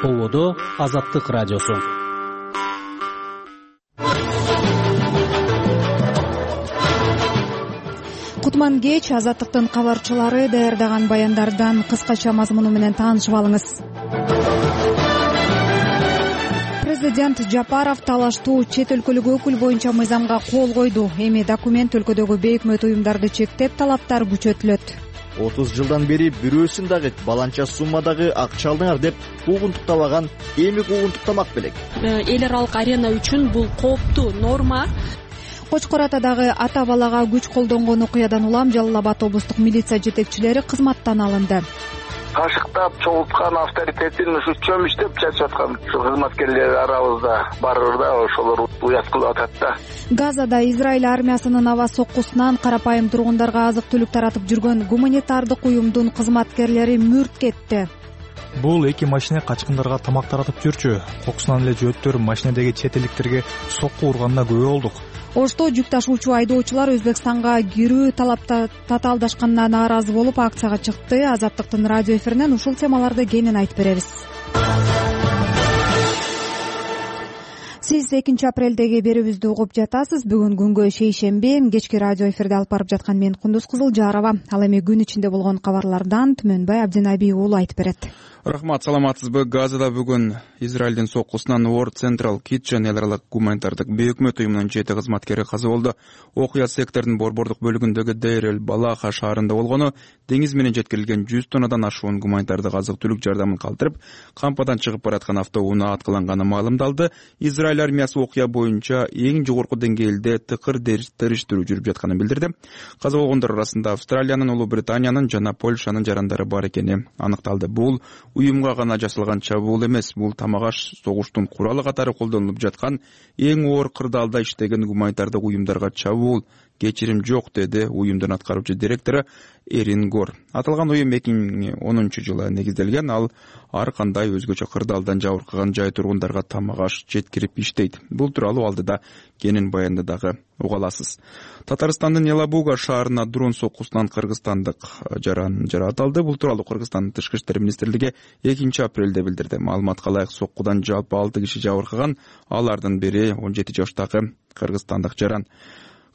Ободо Азаттык радиосу. Кутман кеч, Азаттыктын кабарчылары даярдаган баяндардан кыскача мазмуну менен таанышып алыңыз. Президент Жапаров талаштуу чет өлкөлүк өкүл боюнча мыйзамга кол койду. Эми документ өлкөдөгү бейөкмөт уюмдарды чектеп, талаптар күчөтүлөт. 30 жылдан бери бирөөсүн дагы баланча суммадагы акча алдыңар деп куугунтуктабаган эми куугунтуктамак белек. Эл аралык арена үчүн бул кооптуу норма. Кочкор Атадагы ата балага күч колдонгон окуядан улам Жалал Абад облустук милиция жетекчилери кызматтан алынды. Кашыктап чогулткан авторитетин ушу чөмүштөп чачып аткан кызматкерлер арабызда барыр да, ошолор уят кылып атат да. Газада Израиль армиясынын аба соккусунан карапайым тургундарга азык-түлүк таратып жүргөн гуманитардык уюмдун кызматкерлери мүрт кетти. Бул эки машина качкындарга тамак таратып жүрчү. Кокусунан эле жөөттөр машинадеги чет элдиктерге сокку урганына күбө болдук. Ошто жүк ташуучу айдоочулар Өзбекстанга кирүү татаалдашканына нааразы болуп акцияга чыкты. Азаттыктын радио эфиринен ушул темаларды кенен айтып беребиз. Сиз 2 апрелдеги берүүбүздү угуп жатасыз. Бүгүн күнгө шейшемби. Кечки радио эфирде алып барып жаткан мен Кундуз Кызылжарова. Ал эми күн ичинде болгон кабарлардан Түмөнбай Абдинаби уулу айтып берет. Рахмат, саламатсызбы? Газада бүгүн Израилдин соккусунан World Central Kitchen эл аралык гуманитардык бейөкмөт уюмунун 7 кызматкери каза болду. Окуя сектордун борбордук бөлүгүндөгү Дейр эль-Балаха шаарында болгону, деңиз менен жеткирилген 100 тоннадан ашуун гуманитардык азык-түлүк жардамын калтырып, кампадан чыгып бараткан автоунаа аткыланганы маалымдалды. Израиль армиясы окуя боюнча эң жогорку деңгээлде тыкыр териштирүү жүрүп жатканын билдирди. Каза болгондор арасында Австралиянын, Улуу Британиянын жана Польшанын жарандары бар экени аныкталды. Бул уюмга гана жасалган чабуул эмес, бул тамагаш согуштун куралы катары колдонулуп жаткан эң оор кырдаалда иштеген гуманитардык уюмдарга чабуул. Кечирим жок, деди уюмдун аткаруучу директору Эрин Гор. Аталган уюм 2010 жылы негизделген, ал ар кандай өзгөчө кырдаалдан жабыркаган жай тургундарга тамагаш жеткирип иштейт. Бул тууралуу алдыда кенен баянда дагы уга аласыз. Татарстандын Елабуга шаарына дрон соккусунан кыргызстандык жаратылды. Бул тууралуу Кыргызстандын Тышкы иштер министрлиги 2 апрелде билдирди. Маалыматка ылайык, соккудан жалпы 6 киши жабыркаган, алардын бири 17 жаштагы кыргызстандык жаран.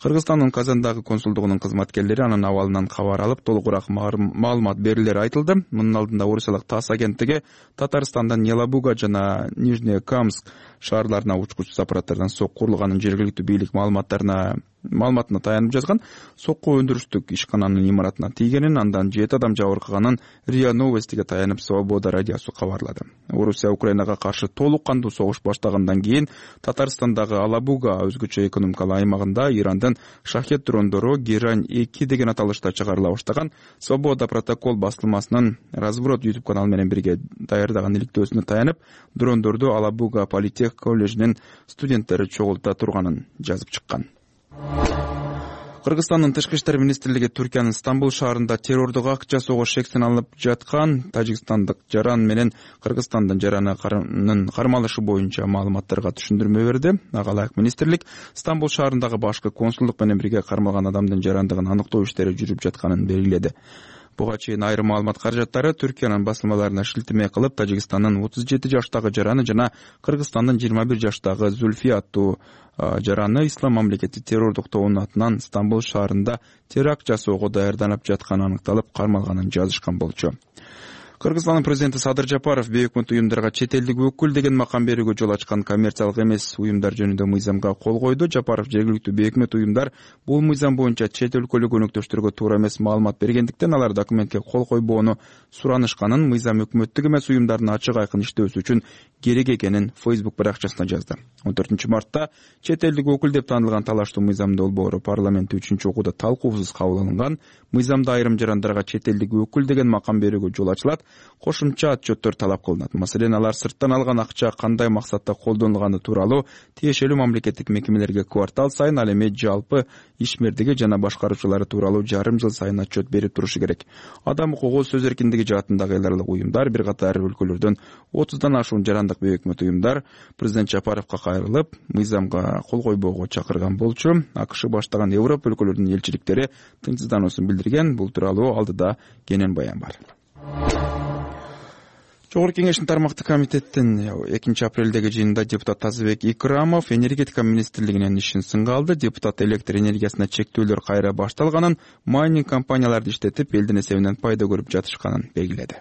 Кыргызстандын Казандагы консулдугунун кызматкерлери анын абалынан кабар алып, толугураак маалымат берилери айтылды. Мунун алдында Орусиялык ТАСС агенттиги Татарстандан Елабуга жана Нижнекамск шаарларына учкучсуз аппараттардан сокку урулганын жергиликтүү бийлик маалыматына таянып жазган. Сокку өндүрүштүк ишкананын имаратына тийгенин, андан 7 адам жабыркаганын РИА Новостиге таянып Свобода радиосу кабарлады. Орусия Украинага каршы толук кандуу согуш баштагандан кийин Татарстандагы Алабуга өзгөчө экономикалык аймагында Ирандын шахет дрондору Герань 2 деген аталышта чыгарыла баштаган. Свобода протокол басылмасынын Разброд YouTube каналы менен бирге даярдаган иликтөөсүнө таянып, дрондорду Алабуга политех коллежинин студенттери чогулта турганын жазып чыккан. Кыргызстандын Тышкы иштер министрлиги Түркиянын Стамбул шаарында террордук акча согуш шектен алып жаткан тажикстандык жаран менен Кыргызстандын жаранын кармалышы боюнча маалыматтарга түшүндүрмө берди. Ага ылайык министрлик Стамбул шаарындагы башкы консулдук менен бирге кармалган адамдын жарандыгын аныктоо иштери жүрүп жатканын белгиледи. Буга чейин айрым маалымат каражаттары Түркиянын басылмаларына шилтеме кылып, Тажикстандын 37 жаштагы жараны жана Кыргызстандын 21 жаштагы Зульфия аттуу жараны Ислам мамлекети террордук тобунун атынан Стамбул шаарында теракт жасоого даярданып жатканы аныкталып, кармалганын жазышкан болчу. Кыргызстандын президенти Садыр Жапаров бейөкмөт уюмдарга чет элдик өкүл деген макам берүүгө жол ачкан коммерциялык эмес уюмдар жөнүндө мыйзамга кол койду. Жапаров жергиликтүү бейөкмөт уюмдар бул мыйзам боюнча чет өлкөлүк өнөктөштөргө туура эмес маалымат бергендиктен алар документке кол койбоону суранышканын, мыйзам өкмөттүк эмес уюмдардын ачык айкын иштөөсү үчүн керек экенин Facebook баракчасына жазды. 14 мартта чет элдик өкүл деп таанылган талаштуу мыйзам долбоору парламентте 3-окууда талкуусуз кабыл алынган. Мыйзамда айрым жарандарга чет элдик өкүл деген макам берүүгө жол ачылат. Кошумча отчеттор талап кылынат. Маселен, алар сырттан алган акча кандай максатта колдонулганы тууралуу тиешелүү мамлекеттик мекемелерге квартал сайын, ал эми жалпы ишмердиги жана башкаруучулары тууралуу жарым жыл сайын отчет берип турушу керек. Адам укугу, сөз эркиндиги жаатындагы эл аралык уюмдар, бир катар өлкөлөрдөн 30дан ашуун жарандык бейөкмөт уюмдар президент Жапаровго кайрылып, мыйзамга кол койбоого чакырган болчу. АКШ баштаган Европа өлкөлөрүнүн элчиликтери тынчсыздануусун билдирген. Бул тууралуу алдыда кенен баян бар. Жогорку кеңештин тармактык комитеттин 2 апрелдеги жыйынында депутат Тазыбек Икрамов энергетика министрлигинин ишин сынга алды. Депутат электр энергиясына чектөөлөр кайра башталганын, майнинг компанияларды иштетип элдин эсебинен пайда көрүп жатышканын белгиледи.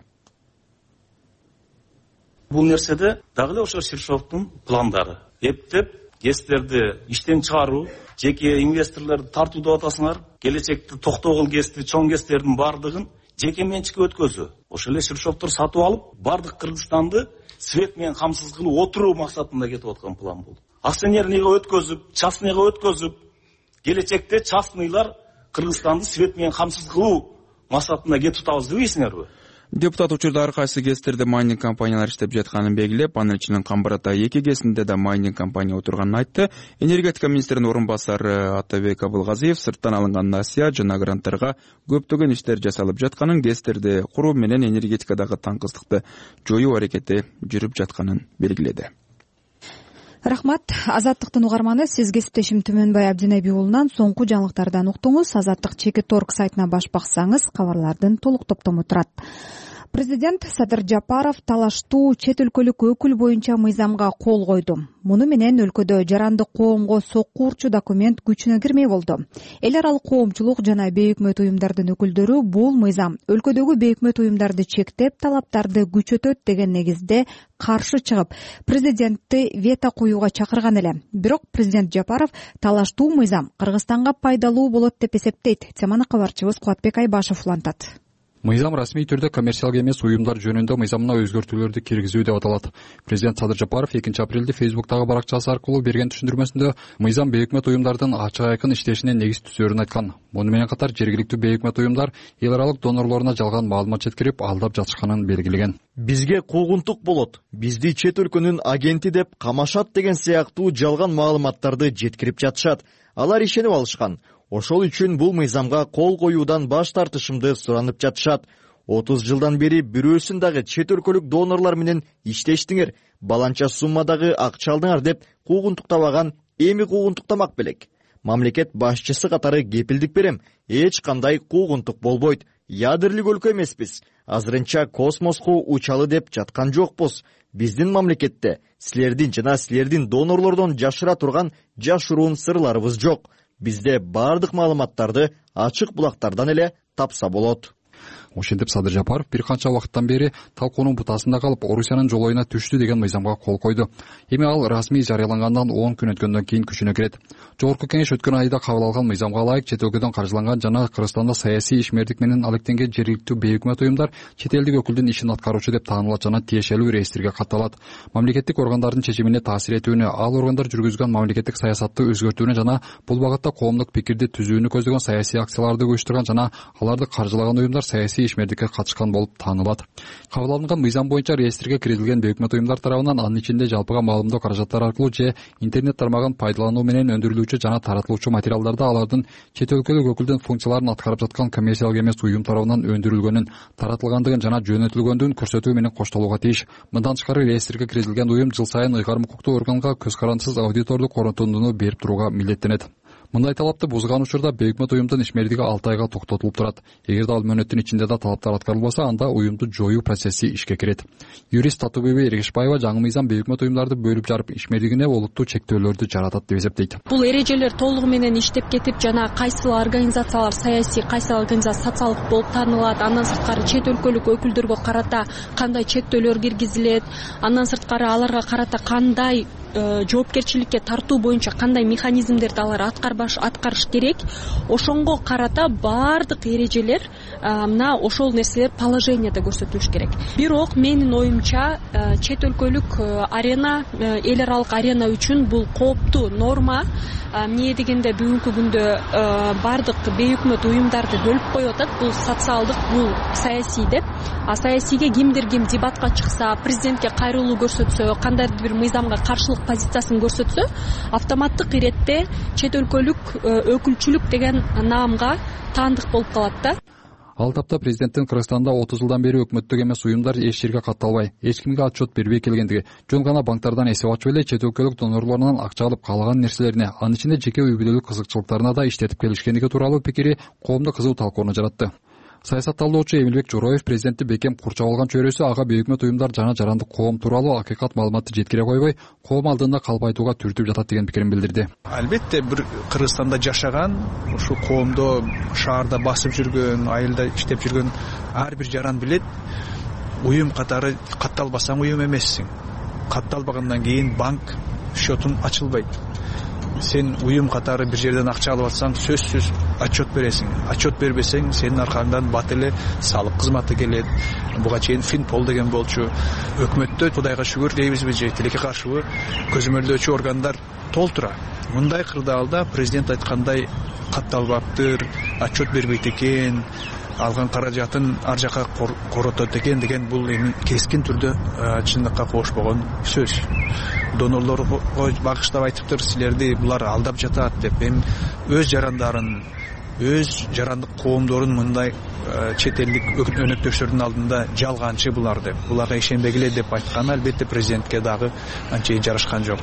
Бул нерседе дагы эле ошо Ширшовдун пландары. Эптеп ГЭСтерди иштен чыгаруу, жеке инвесторлорду тартуу деп атасыңар, келечекте токтогул ГЭСти, чоң ГЭСтердин бардыгын жеке менчикке өткөзүү. Ошол эле Ширшовдор сатып алып, бардык Кыргызстанды свет менен камсыз кылып отуруу максатында кетип аткан план бул. Акционерныйга өткөзүп, частныйга өткөзүп, келечекте частныйлар Кыргызстанды свет менен камсыз кылуу максатында кетип атабыз дебейсиңерби? Депутат учурда ар кайсы ГЭСтерде майнинг компаниялар иштеп жатканын белгилеп, анын ичинен Камбарата 2 ГЭСинде да майнинг компания отурганын айтты. Энергетика министринин орун басары Атабек Абылгазиев сырттан алынган насыя жана гранттарга көптөгөн иштер жасалып жатканын, ГЭСтерди куруу менен энергетикадагы таңкыстыкты жоюу аракети жүрүп жатканын белгиледи. Рахмат. Азаттыктын угарманы, сиз кесиптешим Түмөнбай Абдинайби уулунан соңку жаңылыктардан уктуңуз. Азаттык Чекит.орг сайтына баш баксаңыз, кабарлардын толук топтому турат. Президент Садыр Жапаров талаштуу чет өлкөлүк өкүл боюнча мыйзамга кол койду. Муну менен өлкөдө жарандык коомго сокку урчу документ күчүнө кирмей болду. Эл аралык коомчулук жана бейөкмөт уюмдардын өкүлдөрү бул мыйзам өлкөдөгү бейөкмөт уюмдарды чектеп, талаптарды күчөтөт деген негизде каршы чыгып, президентти вето коюуга чакырган эле. Бирок президент Жапаров талаштуу мыйзам Кыргызстанга пайдалуу болот деп эсептейт. Теманы кабарчыбыз Кубатбек Айбашев улантат. Мыйзам расмий түрдө коммерциялык эмес уюмдар жөнүндө мыйзамына өзгөртүүлөрдү киргизүү деп аталат. Президент Садыр Жапаров 2 апрелде Facebook'тагы баракчасы аркылуу берген түшүндүрмөсүндө мыйзам бейөкмөт уюмдардын ачык айкын иштешине негиз түзөрүн айткан. Муну менен катар жергиликтүү бейөкмөт уюмдар эл аралык донорлоруна жалган маалымат жеткирип, алдап жатышканын белгилеген. Бизге куугунтук болот, бизди чет өлкөнүн агенти деп камашат деген сыяктуу жалган маалыматтарды жеткирип жатышат. Алар ишенип алышкан. Ошол үчүн бул мыйзамга кол коюудан баш тартышымды суранып жатышат. 30 жылдан бери бирөөсүн дагы чет өлкөлүк донорлор менен иштештиңер, баланча суммадагы акча алдыңар деп куугунтуктабаган, эми куугунтуктамак белек. Мамлекет башчысы катары кепилдик берем, эч кандай куугунтук болбойт. Ядерлик өлкө эмеспиз. Азырынча космоско учалы деп жаткан жокпуз. Биздин мамлекетте силердин жана силердин донорлордон жашыра турган жашыруун сырларыбыз жок. Бизде бардык маалыматтарды ачык булактардан эле тапса болот. Ошентип Садыр Жапаров бир канча убакыттан бери талкуунун бутасында калып, Орусиянын жолоюна түштү деген мыйзамга кол койду. Эми ал расмий жарыялангандан 10 күн өткөндөн кийин күчүнө кирет. Жогорку кеңеш өткөн айда кабыл алган мыйзамга ылайык чет өлкөдөн каржыланган жана Кыргызстанда саясий ишмердик менен алектенген жергиликтүү бейөкмөт уюмдар чет элдик өкүлдүн ишин аткаруучу деп таанылат жана тиешелүү реестрге катталат. Мамлекеттик органдардын чечимине таасир этүүнү, ал органдар жүргүзгөн мамлекеттик саясатты өзгөртүүнү жана бул багытта коомдук пикирди түзүүнү көздөгөн саясий акцияларды уюштурган жана аларды каржылаган уюмдар саясий ишмердикке катышкан болуп таанылат. Кабыл алынган мыйзам боюнча реестрге киргизилген бейөкмөт уюмдар тарабынан анын ичинде жалпыга маалымдоо каражаттары аркылуу же интернет тармагын пайдалануу менен өндүрүлүүчү жана таратылуучу материалдарда алардын чет өлкөлүк өкүлдүн функцияларын аткарып жаткан коммерциялык эмес уюм тарабынан өндүрүлгөнүн, таратылгандыгын жана жөнөтүлгөндүгүн көрсөтүү менен коштолууга тийиш. Мындан тышкары реестрге киргизилген уюм жыл сайын ыйгарым укуктуу органга көз карандысыз аудитордук корутундуну берип турууга милдеттенет. Мындай талапты бузган учурда бейөкмөт уюмдун ишмердиги 6 айга токтотулуп турат. Эгерде ал мөөнөттүн ичинде да талаптар аткарылбаса, анда уюмду жоюу процесси ишке кирет. Юрист Татубеби Эргешбаева жаңы мыйзам бейөкмөт уюмдарды бөлүп жарып, ишмердигине олуттуу чектөөлөрдү жаратат деп эсептейт. Бул эрежелер толугу менен иштеп кетип, жана кайсыл организациялар саясий, кайсыл организация социалдык болуп таанылат, андан сырткары чет өлкөлүк өкүлдөргө карата кандай чектөөлөр киргизилет, андан сырткары аларга карата кандай жоопкерчиликке тартуу боюнча кандай механизмдерди алар аткарыш керек, ошонго карата бардык эрежелер мына ошол нерселер положенияда көрсөтүлүш керек. Бирок менин оюмча чет өлкөлүк арена, эл аралык арена үчүн бул кооптуу норма. Эмне дегенде бүгүнкү күндө бардык бейөкмөт уюмдарды бөлүп коюп атат. Бул социалдык, бул саясий деп. А саясийге кимдир ким дебатка чыкса, президентке кайрылуу көрсөтсө, кандайдыр бир мыйзамга каршылык позициясын көрсөтсө, автоматтык иретте чет өлкөлүк өкүлчүлүк деген наамга таандык болуп калат да. Ал тапта президенттин Кыргызстанда 30 жылдан бери өкмөттүк эмес уюмдар эч жерге катталбай, эч кимге отчет бербей келгендиги, жөн гана банктардан эсеп ачып эле чет өлкөлүк донорлорунан акча алып каалаган нерселерине, анын ичинде жеке үй бүлөлүк кызыкчылыктарына да иштетип келишкендиги тууралуу пикири коомдо кызуу талкууну жаратты. Саясатталуучу Эмилбек Жороев президентти бекем курчап алган чөйрөсү ага бейөкмөт уюмдар жана жарандык коом тууралуу акыйкат маалыматты жеткире койбой, коом алдында калп айтууга түртүп жатат деген пикирин билдирди. Албетте бир Кыргызстанда жашаган, ушул коомдо шаарда басып жүргөн, айылда иштеп жүргөн ар бир жаран билет, уюм катары катталбасаң уюм эмессиң. Катталбагандан кийин банк счетун ачылбайт. Сен уюм катары бир жерден акча алып атсаң, сөзсүз отчет бересиң. Отчет бербесең, сенин аркаңдан бат эле салык кызматы келет. Буга чейин Финпол деген болчу. Өкмөттө Кудайга шүгүр дейбизби же тилекке каршыбы көзөмөлдөөчү органдар толтура. Мындай кырдаалда президент айткандай катталбаптыр, отчет бербейт экен, алган каражатын ар жака коротот экен деген бул эми кескин түрдө чындыкка кошпогон сөз. Донорлорго багыштап айтыптыр, силерди булар алдап жатат деп. Эми өз жарандарын, өз жарандык коомдорун мындай чет элдик өнөктөштөрдүн алдында жалганчы булар деп, буларга ишенбегиле деп айтканы албетте президентке дагы анчейин жарашкан жок.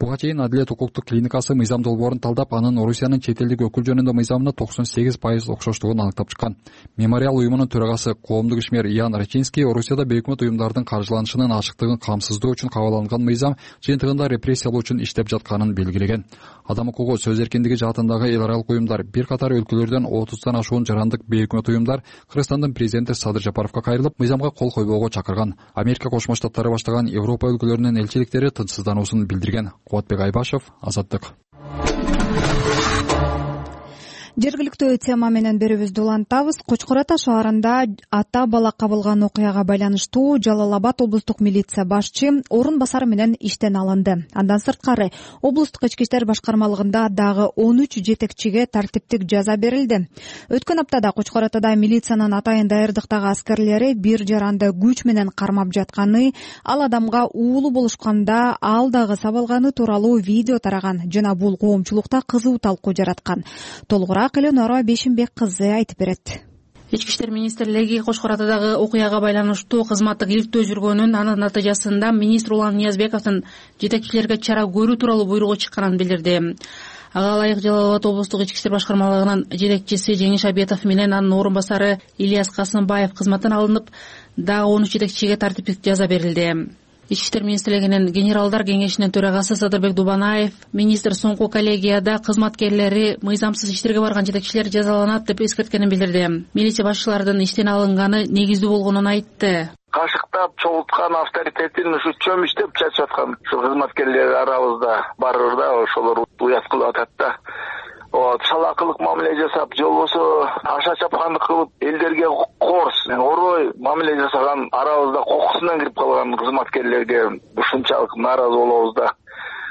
Буга чейин Адилет укуктук клиникасы мыйзам долбоорун талдап, анын Орусиянын чет элдик өкүл жөнүндө мыйзамына 98% окшоштугун аныктап чыккан. Мемориал уюмунун төрагасы коомдук ишмер Ян Рачинский Орусияда бейөкмөт уюмдардын каржыланышынын ачыктыгын камсыздоо үчүн кабыл алынган мыйзам жыйынтыгында репрессиялоо үчүн иштеп жатканын белгилеген. Адам укугу, сөз эркиндиги жаатындагы эл аралык уюмдар, бир катар өлкөлөрдөн 30тан ашуун жарандык бейөкмөт уюмдар Кыргызстандын президенти Садыр Жапаровго кайрылып, мыйзамга кол койбоого чакырган. Америка Кошмо Штаттары баштаган Европа өлкөлөрүнүн элчиликтери тынчсыздануусун билдирген. Кубатбек Айбашев, Азаттык. Жергиликтүү тема менен берүүбүздү улантабыз. Кочкор Ата шаарында ата бала кабылган окуяга байланыштуу Жалал Абад облустук милиция башчы орун басары менен иштен алынды. Андан сырткары облустук ички иштер башкармалыгында дагы 13 жетекчиге тартиптик жаза берилди. Өткөн аптада Кочкор Атада милициянын атайын даярдыктагы аскерлери бир жаранды күч менен кармап жатканы, ал адамга уулу болушканда ал дагы сабалганы тууралуу видео тараган жана бул коомчулукта кызуу талкуу жараткан. Толугураак Эленора Бешимбек кызы айтып берет. Ички иштер министрлиги Кочкор Атадагы окуяга байланыштуу кызматтык иликтөө жүргөнүн, анын натыйжасында министр Улан Ниязбековдун жетекчилерге чара көрүү тууралуу буйругу чыкканын билдирди. Ага ылайык Жалал Абад облустук ички иштер башкармалыгынын жетекчиси Жеңиш Абетов менен анын орун басары Ильяс Касымбаев кызматтан алынып, дагы 13 жетекчиге тартиптик жаза берилди. Ички иштер министрлигинин генералдар кеңешинин төрагасы Садырбек Дубанаев министр соңку коллегияда кызматкерлери мыйзамсыз иштерге барган жетекчилер жазаланат деп эскерткенин билдирди. Милиция башчыларынын иштен алынганы негиздүү болгонун айтты. Кашыктап чогулткан авторитетин ушу чөмүштөп чачып аткан кызматкерлер арабызда барыр да, ошолор уят кылып атат да. Салакылык мамиле жасап, же болбосо аша чапкандык кылып, элдерге корс, орой мамиле жасаган арабызда кокусунан кирип калган кызматкерлерге ушунчалык нааразы болобуз да.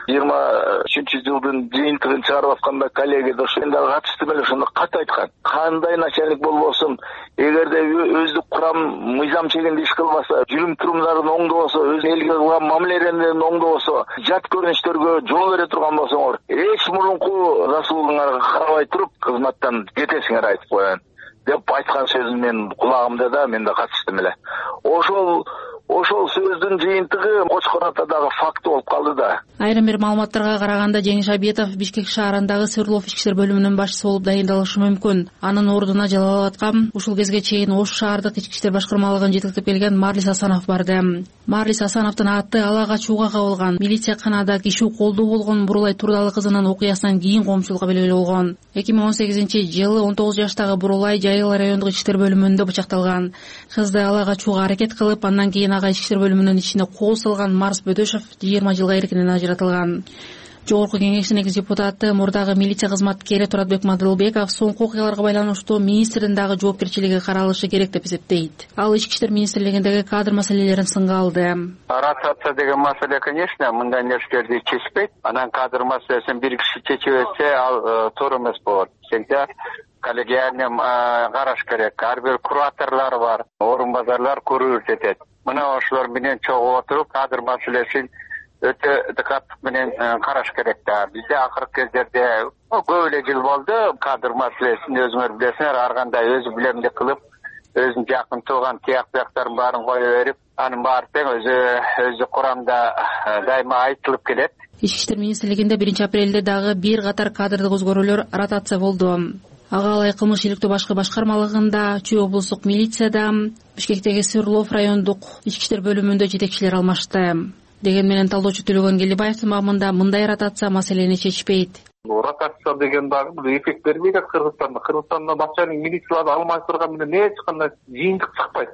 23-жылдын жыйынтыгын чыгарып атканда коллега да ошондой катышты эле ошондо кат айткан. Кандай начальник болбосун, эгерде өздүк курам мыйзам чегинде иш кылбаса, жүрүм турумдарын оңдобосо, өз элге кылган мамилелерин оңдобосо, жат көрүнүштөргө жол бере турган болсоңор, эч мурунку расулуңарга карабай туруп кызматтан кетесиңер айтып коеюн деп айткан сөзүн мен кулагымда да, мен да катыштым эле. Ошол сөздүн жыйынтыгы Кочкор Атадагы факт болуп калды да. Айрым бир маалыматтарга караганда Жеңиш Абетов Бишкек шаарындагы Свердлов ички иштер бөлүмүнүн башчысы болуп дайындалышы мүмкүн. Анын ордуна Жалал Абадка ушул кезге чейин Ош шаардык ички иштер башкармалыгын жетектеп келген Марлис Асанов барды. Марлис Асановдун аты ала качууга кабылган. Милиция канада киши колдуу болгон Бурулай Турдалы кызынын окуясынан кийин коомчулукка белгилүү болгон. 2018-жылы 19 жаштагы Бурулай Жайыл райондук ички иштер бөлүмүндө бычакталган. Кызды ала качууга аракет кылып, андан кийин ички иштер бөлүмүнүн ичине кол салган Марс Бөдөшов 20 жылга эркинен ажыратылган. Жогорку кеңештин экс-депутаты, мурдагы милиция кызматкери Туратбек Мадылбеков соңку окуяларга байланыштуу министрдин дагы жоопкерчилиги каралышы керек деп эсептейт. Ал ички иштер министрлигиндеги кадр маселелерин сынга алды. Ротация деген маселе, конечно, мындай нерселерди чечпейт. Анан кадр маселесин бир киши чечип берсе, ал туура эмес болот. Себеби коллегиальный караш керек. Ар бир кураторлор бар, орун базарлар көрсөтөт. Мына ошолор менен чогуу отуруп, кадр маселесин өтө дыкаттык менен караш керек да. Бизде акыркы кездерде көп эле жыл болду, кадр маселесин өзүңөр билесиңер, ар кандай өзү билемдик кылып, өзүнүн жакын тууган тияктарын баарын кое берип, анын баары тең өзү курамда дайыма айтылып келет. Ички иштер министрлигинде 1 апрелде дагы бир катар кадрдык өзгөрүүлөр ротация болду. ага алай кылмыш иликтөө башкы башкармалыгында, Чүй облустук милицияда, Бишкектеги Свердлов райондук ички иштер бөлүмүндө жетекчилер алмашты. Деген менен талдоочу Төлөгөн Келибаевдин маамында мындай ротация маселени чечпейт. Ротация деген дагы бул эффект бербейт Кыргызстанда. Кыргызстанда начальник милицияларды алмаштырган менен эч кандай жыйынтык чыкпайт.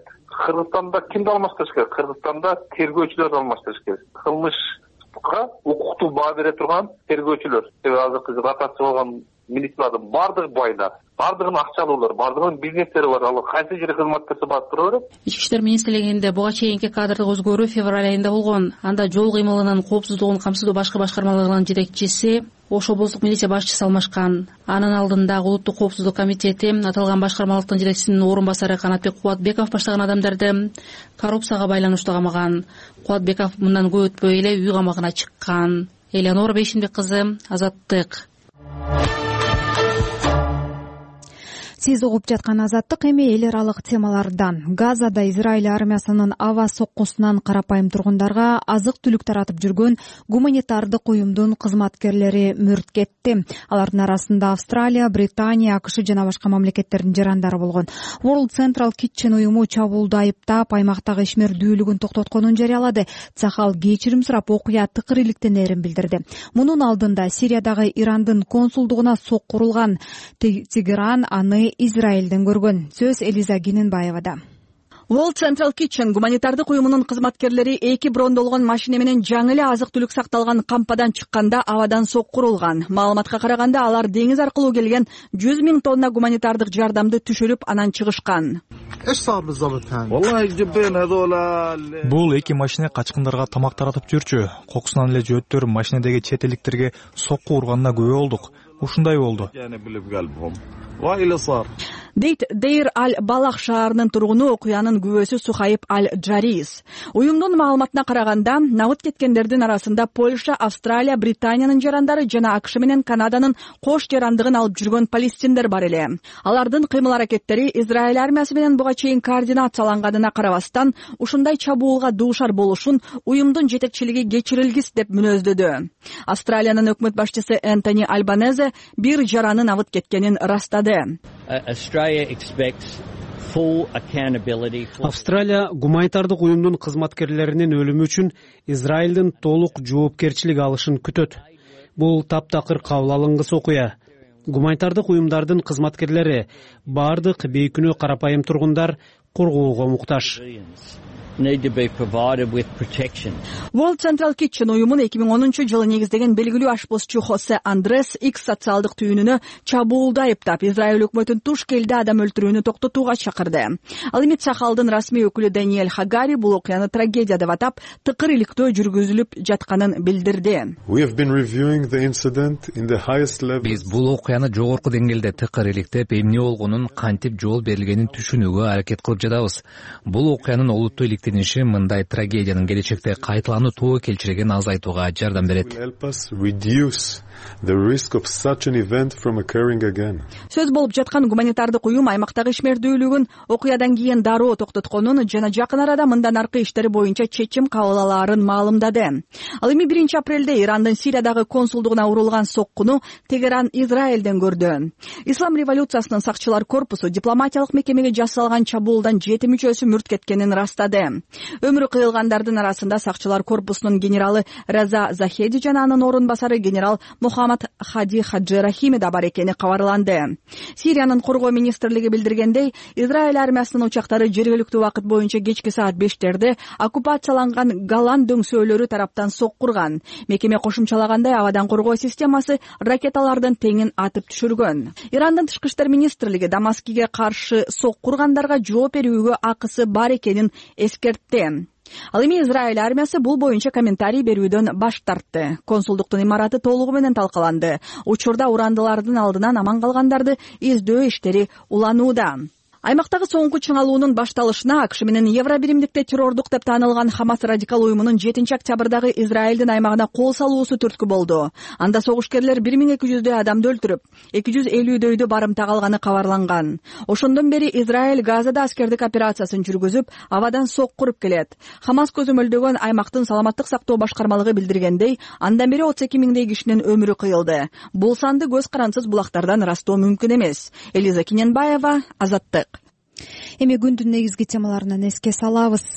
Кыргызстанда кимди алмаштырыш керек? Кыргызстанда тергөөчүлөрдү алмаштырыш керек. Кылмышка укуктуу баа бере турган тергөөчүлөр. Себеби азыркы ротация болгон милициялардын бардыгы байлар, бардыгынын акчалуулар, бардыгынын бизнестери бар. Ал кайсы жерде кызмат көрсөтүп барып тура берет? Ички иштер министрлигинде буга чейинки кадрдык өзгөрүү февраль айында болгон. Анда жол кыймылынын коопсуздугун камсыздоо башкы башкармалыгынын жетекчиси, Ош облустук милиция башчысы алмашкан. Анын алдындагы улуттук коопсуздук комитети аталган башкармалыктын жетекчисинин орун басары Канатбек Кубатбеков баштаган адамдарды коррупцияга байланыштуу камаган. Кубатбеков мындан көп өтпөй эле үй камагына чыккан. Элеонора Бейшинбек кызы, Азаттык. Сиз угуп жаткан Азаттык. Эми эл аралык темалардан. Газада Израиль армиясынын аба соккусунан карапайым тургундарга азык-түлүк таратып жүргөн гуманитардык уюмдун кызматкерлери мөрт кетти. Алардын арасында Австралия, Британия, АКШ жана башка мамлекеттердин жарандары болгон. World Central Kitchen уюму чабуулду айыптап, аймактагы ишмердүүлүгүн токтотконун жарыялады. Цахал кечирим сурап, окуя тыкыр иликтенерин билдирди. Мунун алдында Сириядагы Ирандын консулдугуна сокку урулган. Тегеран аны Израилден көргөн. Сөз Элиза Гененбаевада. World Central Kitchen гуманитардык уюмунун кызматкерлери 2 брондолгон машина менен жаңы эле азык-түлүк сакталган кампадан чыкканда абадан сокку урулган. Маалыматка караганда алар деңиз аркылуу келген 100 000 тонна гуманитардык жардамды түшүрүп анан чыгышкан. Бул 2 машина качкындарга тамак таратып жүрчү. Кокусунан эле жөөттөр машинедеги чет элдиктерге сокку урганына күбө болдук. Ушундай болду. Дейт Дейр Аль-Балах шаарынын тургуну, окуянын күбөсү Сухайб Аль-Джарис. Уюмдун маалыматына караганда, набыт кеткендердин арасында Польша, Австралия, Британиянын жарандары жана АКШ менен Канаданын кош жарандыгын алып жүргөн палестиндер бар эле. Алардын кыймыл-аракеттери Израиль армиясы менен буга чейин координацияланганына карабастан, ушундай чабуулга дуушар болушун уюмдун жетекчилиги кечирилгис деп мүнөздөдү. Австралиянын өкмөт башчысы Энтони Альбанезе бир жаранын абыт кеткенин растады. Австралия гуманитардык уюмдун кызматкерлеринин өлүмү үчүн Израилдин толук жоопкерчилик алышын күтөт. Бул таптакыр кабыл алынгыс окуя. Гуманитардык уюмдардын кызматкерлери бардык бейкүнөө карапайым тургундар коргоого муктаж. World Central Kitchen уюмун 2010-жылы негиздеген белгилүү ашпозчу Хосе Андрес X социалдык түйүнүнө чабуулду айыптап, Израиль өкмөтүн туш келди адам өлтүрүүнү токтотууга чакырды. Ал эми Цахалдын расмий өкүлү Даниэль Хагари бул окуяны трагедия деп атап, тыкыр иликтөө жүргүзүлүп жатканын билдирди. Биз бул окуяны жогорку деңгээлде тыкыр иликтеп, эмне болгонун, кантип жол берилгенин түшүнүүгө аракет кылып жатабыз. Бул окуянын олуттуу иликтениши мындай трагедиянын келечекте кайталануу келчирегин азайтууга жардам берет. Сөз болуп жаткан гуманитардык уюм аймактагы ишмердүүлүгүн окуядан кийин дароо токтотконун жана жакын арада мындан аркы иштери боюнча чечим кабыл алаарын маалымдады. Ал эми 1 апрелде Ирандын Сириядагы консулдугуна урулган соккуну Тегеран Израилден көрдү. Ислам революциясынын сакчылар корпусу дипломатиялык мекемеге жасалган чабуулдан 7 мүчөсү мүрт кеткенин растады. Өмүрү кыйылгандардын арасында сакчылар корпусунун генералы Раза Захеди жана анын орун басары генерал Мухаммад Хади Хаджи Рахими да бар экени кабарланды. Сириянын коргоо министрлиги билдиргендей, Израиль армиясынын учактары жергиликтүү убакыт боюнча кечки саат 5-терде оккупацияланган Голланд дөңсөөлөрү тараптан соккурган. Мекеме кошумчалагандай, абадан коргоо системасы ракеталардын теңин атып түшүргөн. Ирандын тышкы иштер министрлиги Дамаскиге каршы соккургандарга жооп берүүгө акысы бар экенин эскертти. Ал эми Израиль армиясы бул боюнча комментарий берүүдөн баш тартты. Консулдуктун имараты толугу менен талкаланды. Учурда урандылардын алдынан аман калгандарды издөө иштери уланууда. Аймактагы соңку чыңалуунун башталышына АКШ менен Евробиримдикте террордук деп таанылган Хамас радикал уюмунун 7 октябрдагы Израилдин аймагына кол салуусу түрткү болду. Анда согушкерлер 1200 адамды өлтүрүп, 250дөйдү барымтага алганы кабарланган. Ошондон бери Израиль Газада аскердик операциясын жүргүзүп, абадан сок куруп келет. Хамас көзөмөлдөгөн аймактын саламаттык сактоо башкармалыгы билдиргендей, андан бери 32 миңдей кишинин өмүрү кыйылды. Бул санды көз карансыз булактардан ырастоо мүмкүн эмес. Элиза Киненбаева, Азаттык. Эми күндүн негизги темаларынан эске салабыз.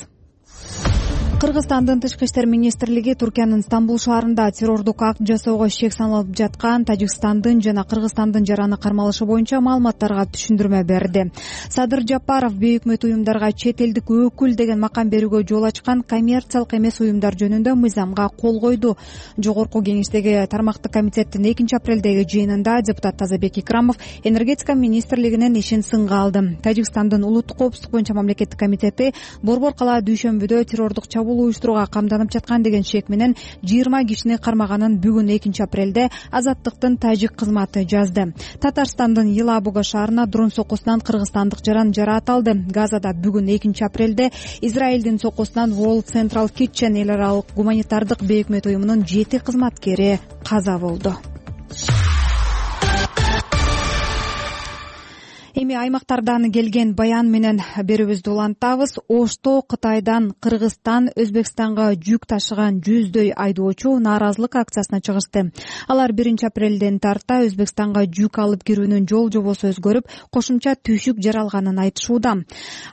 Кыргызстандын Тышкы иштер министрлиги Туркиянын Стамбул шаарында террордук акт жасоого шек саналып жаткан Тажикстандын жана Кыргызстандын жараны кармалышы боюнча маалыматтарга түшүндүрмө берди. Садыр Жапаров бейөкмөт уюмдарга чет элдик өкүл деген макам берүүгө жол ачкан коммерциялык эмес уюмдар жөнүндө мыйзамга кол койду. Жогорку кеңештеги тармактык комитеттин 2 апрелдеги жыйынында депутат Тазабек Икрамов энергетика министрлигинин ишин сынга алды. Тажикстандын улуттук коопсуздук боюнча мамлекеттик комитети Борбор кала дүйшөмбүдө террордук уюштурууга камданып жаткан деген шек менен 20 кишини кармаганын бүгүн 2 апрелде Азаттыктын тажик кызматы жазды. Татарстандын Елабуга шаарына дрон соккусунан кыргызстандык жаран жараат алды. Газада бүгүн 2 апрелде Израилдин соккусунан World Central Kitchen эл аралык гуманитардык бейөкмөт уюмунун 7 кызматкери каза болду. Эми аймактардан келген баян менен берүүбүздү улантабыз. Ошто Кытайдан Кыргызстан, Өзбекстанга жүк ташыган 100дөй айдоочу нааразылык акциясына чыгышты. Алар 1 апрелден тарта Өзбекстанга жүк алып кирүүнүн жол жобосу өзгөрүп, кошумча түйшүк жаралганын айтышууда.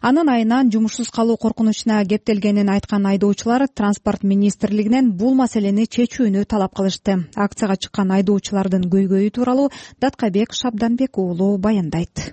Анын айынан жумушсуз калуу коркунучуна кептелгенин айткан айдоочулар транспорт министрлигинен бул маселени чечүүнү талап кылышты. Акцияга чыккан айдоочулардын көйгөйү тууралуу Даткабек Шабданбек уулу баяндайт.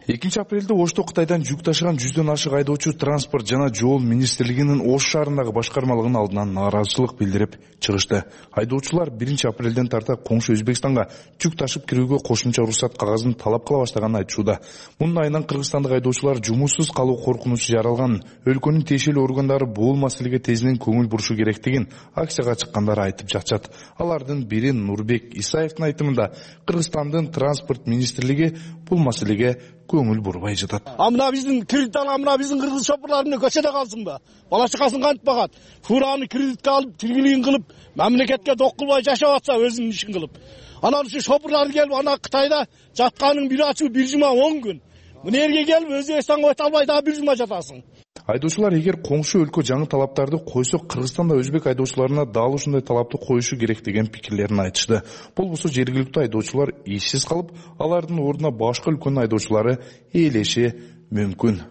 2 апрелде Ошто Кытайдан жүк ташыган 100дөн ашык айдоочу транспорт жана жол министрлигинин Ош шаарындагы башкармалыгынын алдынан нааразычылык билдирип чыгышты. Айдоочулар 1 апрелден тарта коңшу Өзбекстанга жүк ташып кирүүгө кошумча уруксат кагазын талап кыла баштаганын айтышууда. Мунун айынан кыргызстандык айдоочулар жумушсуз калуу коркунучу жаралганын, өлкөнүн тиешелүү органдары бул маселеге тезинен көңүл бурушу керектигин акцияга чыккандар айтып жатышат. Алардын бири Нурбек Исаевдин айтымында Кыргызстандын транспорт министрлиги бул маселеге көңүл бурбай жатат. Мына биздин кредит алган, мына биздин кыргыз шопурлар эмне көчөдө калсынбы? Бала чакасын кантип багат? Фураны кредитке алып, тиргилигин кылып, мамлекетке док кылбай жашап атса өзүнүн ишин кылып. Анан ушу шопурлар келип, ана Кытайда жатканын бир ачуу 1 жума 10 күн. Мына жерге келип Өзбекстанга өтө албай дагы 1 жума жатасың. Айдоочулар эгер коңшу өлкө жаңы талаптарды койсо, Кыргызстанда өзбек айдоочуларына дал ушундай талапты коюшу керек деген пикирлерин айтышты. Болбосо жергиликтүү айдоочулар ишсиз калып, алардын ордуна башка өлкөнүн айдоочулары ээлеши мүмкүн.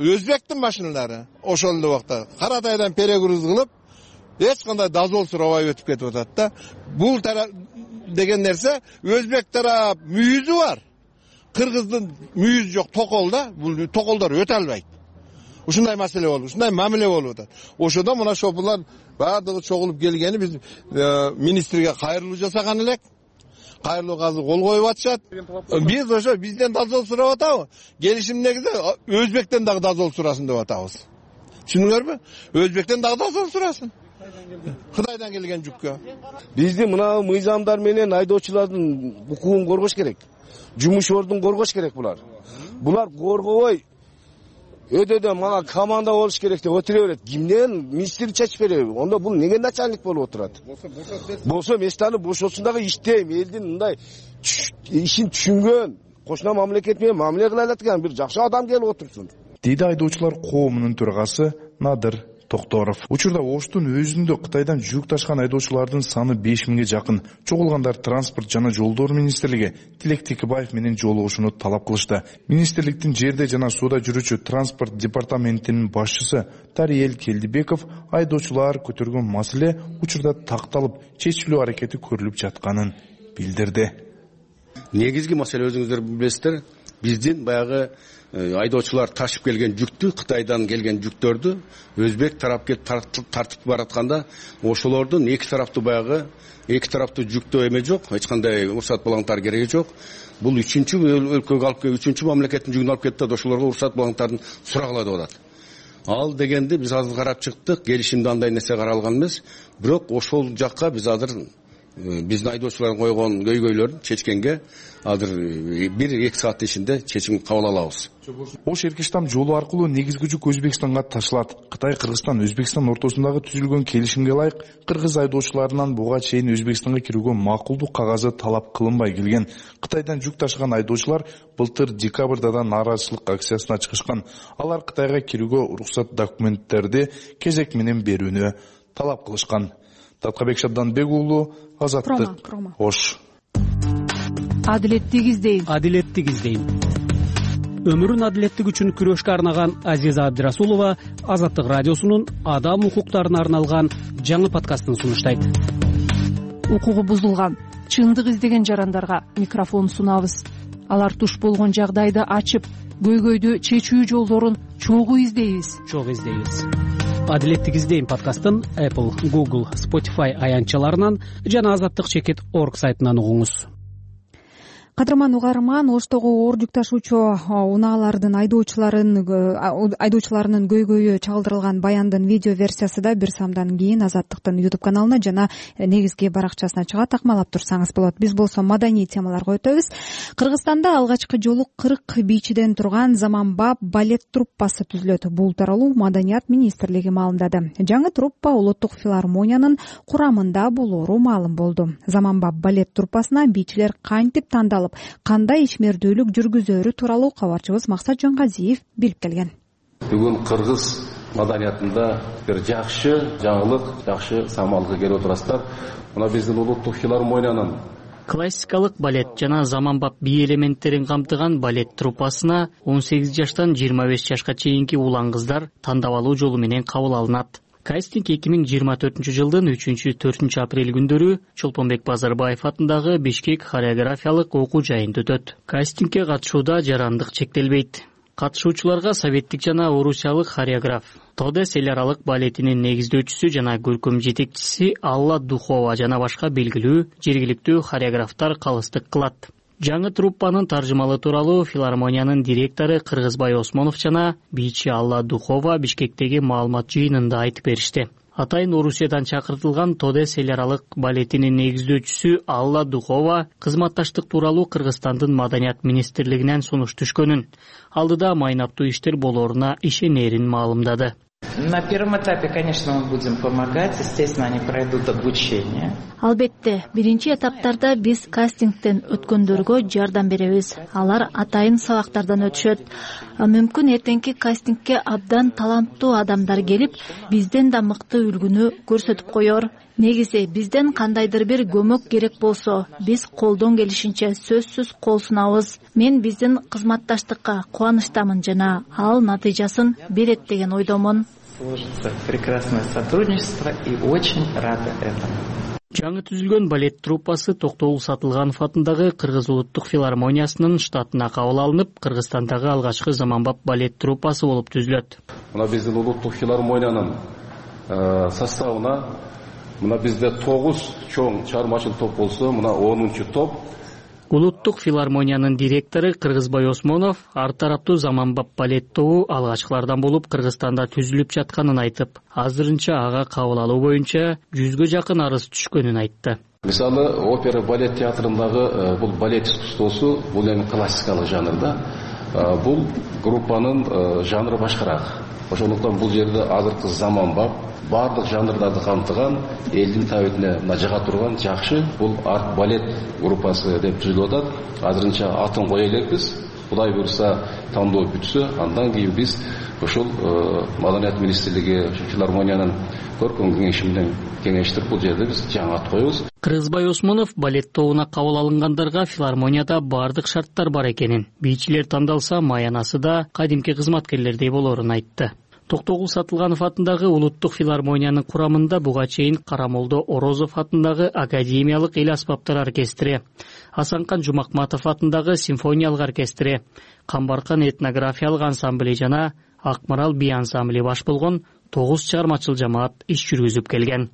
Өзбектин машиналары ошол эле убакта Каратайдан перегруз кылып, эч кандай дозол сурабай өтүп кетип атат да. Бул деген нерсе өзбек тарап мүйүзү бар. Кыргыздын мүйүзү жок, токол да. Бул токолдор өтө албайт. Ушундай маселе болуп, ушундай мамиле болуп атат. Ошодо мына шопурлар баардыгы чогулуп келгени биз министрге кайрылуу жасаган элек. Кайрылууга азыр кол коюп атышат. Биз ошо бизден дозол сурап атабы? Келишим негизи Өзбектен дагы дозол сурасын деп атабыз. Түшүндүңөрбү? Өзбектен дагы дозол сурасын. Кытайдан келген жүккө. Биздин мына мыйзамдар менен айдоочулардын укугун коргош керек. Жумуш ордун коргош керек булар. Булар коргобой өтөдө мага команда болуш керек деп отура берет. Кимден министр чечип береби? Ондо бул неге начальник болуп отурат? Болсо местаны бошосун дагы иштейм. Элдин мындай ишин түшүнгөн, кошуна мамлекет менен мамиле кыла алат бир жакшы адам келип отурсун. Дейди айдоочулар коомунун төрагасы Надыр Токторов. Учурда Оштун өзүндө Кытайдан жүк ташкан айдоочулардын саны 5000ге жакын. Чогулгандар транспорт жана жолдор министрлиги Тилек Текебаев менен жолугушууну талап кылышты. Министрликтин жерде жана сууда жүрүүчү транспорт департаментинин башчысы Тариел Келдибеков айдоочулар көтөргөн маселе учурда такталып, чечилүү аракети көрүлүп жатканын билдирди. Негизги маселе өзүңүздөр билесиздер, биздин баягы айдоочулар ташып келген жүктү, Кытайдан келген жүктөрдү өзбек тарап келип тартып баратканда, ошолордун эки тараптуу жүктөө эме жок, эч кандай уруксат балаңтар кереги жок. Бул үчүнчү өлкөгө алып келип, үчүнчү мамлекеттин жүгүн алып кетти да, ошолорго уруксат балаңтардын сурагыла деп атат. Ал дегенди биз азыр карап чыктык, келишимде андай нерсе каралган эмес, бирок ошол жакка биз азыр биздин айдоочулардын койгон көйгөйлөрүн чечкенге азыр 1-2 сааттын ичинде чечим кабыл алабыз. Ош Эркештам жолу аркылуу негизги жүк Өзбекстанга ташылат. Кытай, Кыргызстан, Өзбекстан ортосундагы түзүлгөн келишимге ылайык кыргыз айдоочуларынан буга чейин Өзбекстанга кирүүгө макулдук кагазы талап кылынбай келген. Кытайдан жүк ташыган айдоочулар былтыр декабрда да нааразычылык акциясына чыгышкан. Алар Кытайга кирүүгө уруксат документтерди кезек менен берүүнү талап кылышкан. Таткабек Шабданбек уулу, Азаттык, Ош. Адилеттик издейм. Өмүрүн адилеттик үчүн күрөшкө арнаган Азиза Абдырасулова Азаттык радиосунун адам укуктарына арналган жаңы подкастын сунуштайт. Укугу бузулган, чындык издеген жарандарга микрофон сунабыз. Алар туш болгон жагдайды ачып, көйгөйдү чечүү жолдорун чогуу издейбиз. Адилеттик издейм подкастын Apple, Google, Spotify аянтчаларынан жана azattik.org сайтынан угуңуз. Кадырман угарман, Оштогу оор жүк ташуучу унаалардын айдоочуларынын көйгөйү чагылдырылган баяндын видео версиясы да бир самдан кийин Азаттыктын YouTube каналына жана негизги баракчасына чыгат. Такмалап турсаңыз болот. Биз болсо маданий темаларга өтөбүз. Кыргызстанда алгачкы жолу 40 бийчиден турган Заманбап балет труппасы түзүлөт. Бул тууралуу Маданият министрлиги маалымдады. Жаңы труппа Улуттук филармониянын курамында болоору маалым болду. Заманбап балет труппасына бийчилер кантип тандалып, кандай ишмердүүлүк жүргүзөрү тууралуу кабарчыбыз Максат Жонгазиев билип келген. Бүгүн кыргыз маданиятында бир жакшы жаңылык, жакшы самалга келип отурасыздар. Мына биздин Улуттук филармониянын классикалык балет жана заманбап бий элементтерин камтыган балет труппасына 18 жаштан 25 жашка чейинки улан кыздар тандап алуу жолу менен кабыл алынат. Кастинг 2024 жылдын 3-4 апрель күндөрү Чолпонбек Базарбаев атындагы Бишкек хореографиялык окуу жайында өтөт. Кастингге катышууда жарандык чектелбейт. Катышуучуларга советтик жана орусиялык хореограф, Тодес эл аралык балетинин негиздөөчүсү жана көркөм жетекчиси Алла Духова жана башка белгилүү жергиликтүү хореографтар калыстык кылат. Жаңы труппанын таржымалы тууралуу филармониянын директору Кыргызбай Осмонов жана бийчи Алла Духова Бишкектеги маалымат жыйынында айтып беришти. Атайын Орусиядан чакыртылган Тодес эл аралык балетинин негиздөөчүсү Алла Духова кызматташтык тууралуу Кыргызстандын Маданият министрлигинен сунуш түшкөнүн, алдыда майнаптуу иштер болооруна ишенерин маалымдады. На первом этапе, конечно, мы будем помогать, естественно, они пройдут обучение. Албетте, биринчи этаптарда биз кастингден өткөндөргө жардам беребиз. Алар атайын сабактардан өтүшөт. Мүмкүн эртеңки кастингге абдан таланттуу адамдар келип, бизден да мыкты үлгүнү көрсөтүп коёр. Негизи бизден кандайдыр бир көмөк керек болсо, биз колдон келишинче сөзсүз кол сунабыз. Мен биздин кызматташтыкка кубанычтамын жана ал натыйжасын берет деген ойдомун. Сложится прекрасное сотрудничество и очень рада этому. Жаңы түзүлгөн балет труппасы Токтогул Сатылганов атындагы Кыргыз Улуттук филармониясынын штатына кабыл алынып, Кыргызстандагы алгачкы заманбап балет труппасы болуп түзүлөт. Мына биздин Улуттук филармониянын составына мына бизде 9 чоң чыгармачыл топ болсо, мына 10-чу топ. Улуттук филармониянын директору Кыргызбай Осмонов ар тараптуу заманбап балет тобу алгачкылардан болуп Кыргызстанда түзүлүп жатканын айтып, азырынча ага кабыл алуу боюнча 100гө жакын арыз түшкөнүн айтты. Мисалы, опера балет театрындагы бул балет искусствосу бул эми классикалык жанрда. Бул группанын жанры башкараак. Ошондуктан бул жерде азыркы заманбап бардык жанрларды камтыган, элдин табитине жага турган жакшы бул арт балет группасы деп түзүлүп атат. Азырынча атын кое элекпиз. Кудай буйруса тандоо бүтсө, андан кийин биз ошол Маданият министрлиги филармониянын көркөм кеңеши менен кеңештирип бул жерде биз жаңы ат коебуз. Кыргызбай Осмонов балет тобуна кабыл алынгандарга филармонияда бардык шарттар бар экенин, бийчилер тандалса маянасы да кадимки кызматкерлердей болоорун айтты. Токтогул Сатылганов атындагы Улуттук филармониянын курамында буга чейин Карамолдо Орозов атындагы Академиялык эл аспаптар оркестри, Асанкан Жумакматов атындагы симфониялык оркестри, Камбаркан этнографиялык ансамбли жана Акмарал би ансамбли баш болгон 9 чыгармачыл жамаат иш жүргүзүп келген.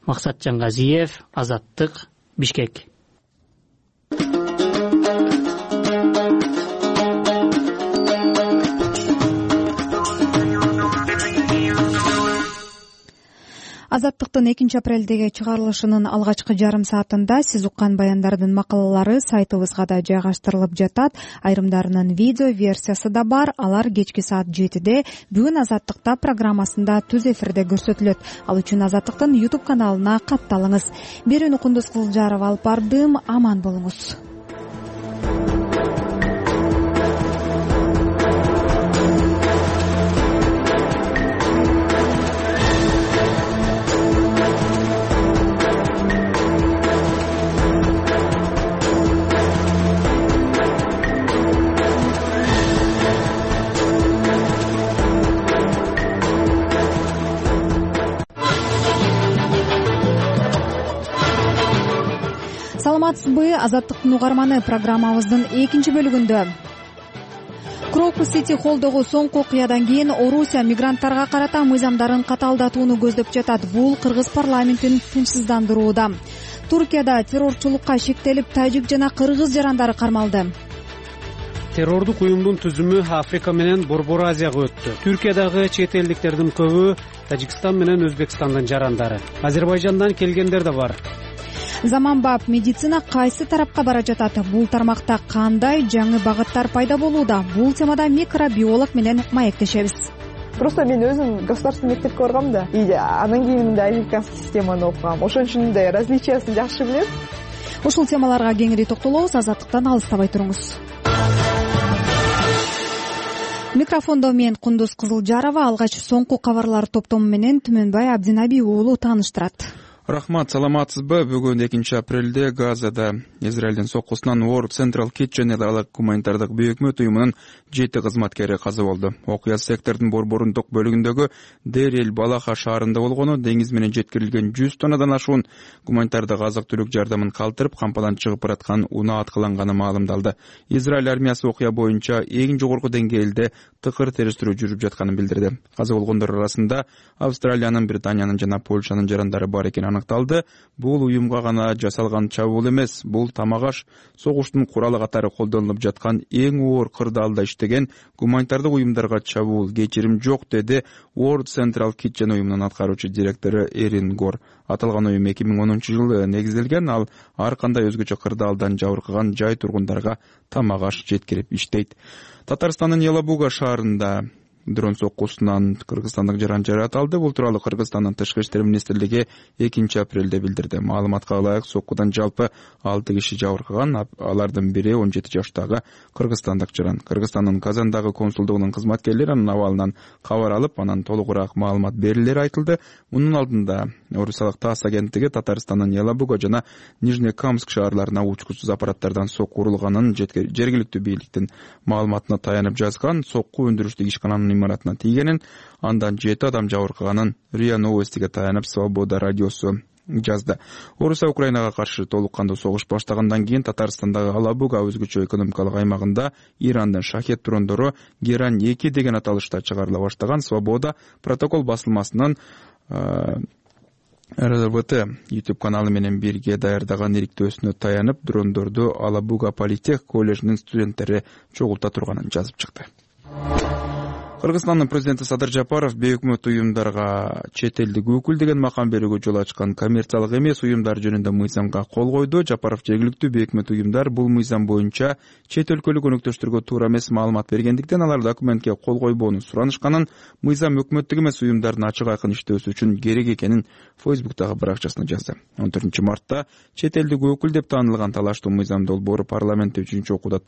Максат Жонгазиев, Азаттык, Бишкек. Азаттыктын 2-апрелдеги чыгарылышынын алгачкы жарым саатында сиз уккан баяндардын макалалары сайтыбызга да жайгаштырылып жатат. Айрымдарынын видео версиясы да бар. Алар кечки саат 7-де бүгүн Азаттыкта программасында түз эфирде көрсөтүлөт. Ал үчүн Азаттыктын YouTube каналына катталыңыз. Берүүнү Кундуз Кызылжарова алып бардым. Аман болуңуз. Саламатсызбы? Азаттыктын угарманы программабыздын 2-бөлүгүндө Крокус Сити холдогу соңку окуядан кийин Орусия мигранттарга карата мыйзамдарын катаалдатууну көздөп жатат. Бул кыргыз парламентин тынчсыздандырууда. Туркияда террорчулукка шектелип, тажик жана кыргыз жарандары кармалды. Террордук уюмдун түзүмү Африка менен Борбор Азияга өттү. Түркиядагы чет элдиктердин көбү Тажикстан менен Өзбекстандын жарандары. Азербайжандан келгендер да бар. Заманбап медицина кайсы тарапка бара жатат? Бул тармакта кандай жаңы багыттар пайда болууда? Бул темада микробиолог менен маектешебиз. Просто мен өзүм государственный мектепке баргам да, анан кийин американский системаны окугам. Ошон үчүн да различиясын жакшы билем. Ушул темаларга кеңири токтолобуз. Азаттыктан алыстабай туруңуз. Микрофондо мен Кундуз Кызылжарова. Алгач соңку кабарлар топтому менен Түмөнбай Абдинаби уулу тааныштырат. Рахмат, саламатсызбы? Бүгүн 2-апрелде Газада Израилдин соккусунан World Central Kitchen алак гуманитардык бейөкмөт уюмунун 7 кызматкери каза болду. Окуя сектордун борборундук бөлүгүндөгү Дерел Балаха шаарында болгону, деңиз менен жеткирилген 100 тоннадан ашуун гуманитардык азык-түлүк жардамын калтырып, кампадан чыгып бараткан унаа аткыланганы маалымдалды. Израиль армиясы окуя боюнча эң жогорку деңгээлде тыкыр териштирүү жүрүп жатканын билдирди. Каза болгондор арасында Австралиянын, Британиянын жана Польшанын жарандары бар экени аныкталды. Бул уюмга гана жасалган чабуул эмес, бул тамагаш согуштун куралы катары колдонулуп жаткан эң оор кырдаалда иштеген гуманитардык уюмдарга чабуул. Кечирим жок, деди World Central Kitchen уюмунун аткаруучу директору Эрин Гор. Аталган уюм 2010-жылы негизделген, ал ар кандай өзгөчө кырдаалдан жабыркаган жай тургундарга тамагаш жеткирип иштейт. Татарстандын Ялабуга шаарында дрон соккусунан кыргызстандык жаран жаратылды. Бул тууралуу Кыргызстандын Тышкы иштер министрлиги 2-апрелде билдирди. Маалыматка ылайык, соккудан жалпы 6 киши жабыркаган, алардын бири 17 жаштагы кыргызстандык жаран. Кыргызстандын Казандагы консулдугунун кызматкерлери анын абалынан кабар алып, анан толугураак маалымат берилери айтылды. Мунун алдында Орусиялык ТАСС агенттиги Татарстандын Ялабуга жана Нижнекамск шаарларына учкучсуз аппараттардан сокку урулганын жергиликтүү бийликтин маалыматына таянып жазган. Сокку өндүрүштүк ишкананын имаратына тийгенин, андан 7 адам жабыркаганын РИА Новостиге таянып Свобода радиосу жазды. Орусия Украинага каршы толук кандуу согуш баштагандан кийин Татарстандагы Алабуга өзгөчө экономикалык аймагында Ирандын шахет дрондору Герань 2 деген аталышта чыгарыла баштаган. Свобода протокол басылмасынын РВТ YouTube каналы менен бирге даярдаган ириктөөсүнө таянып, дрондорду Алабуга политех коллежинин студенттери чогулта турганын жазып чыкты. Кыргызстандын президенти Садыр Жапаров бейөкмөт уюмдарга чет элдик өкүл деген макам берүүгө жол ачкан коммерциялык эмес уюмдар жөнүндө мыйзамга кол койду. Жапаров жергиликтүү бейөкмөт уюмдар бул мыйзам боюнча чет өлкөлүк өнөктөштөргө туура эмес маалымат бергендиктен алар документке кол койбоону суранышканын, мыйзам өкмөттүк эмес уюмдардын ачык айкын иштөөсү үчүн керек экенин Фейсбуктагы баракчасына жазды. 14-мартта чет элдик өкүл деп таанылган талаштуу мыйзам долбоору парламентте 3-окууда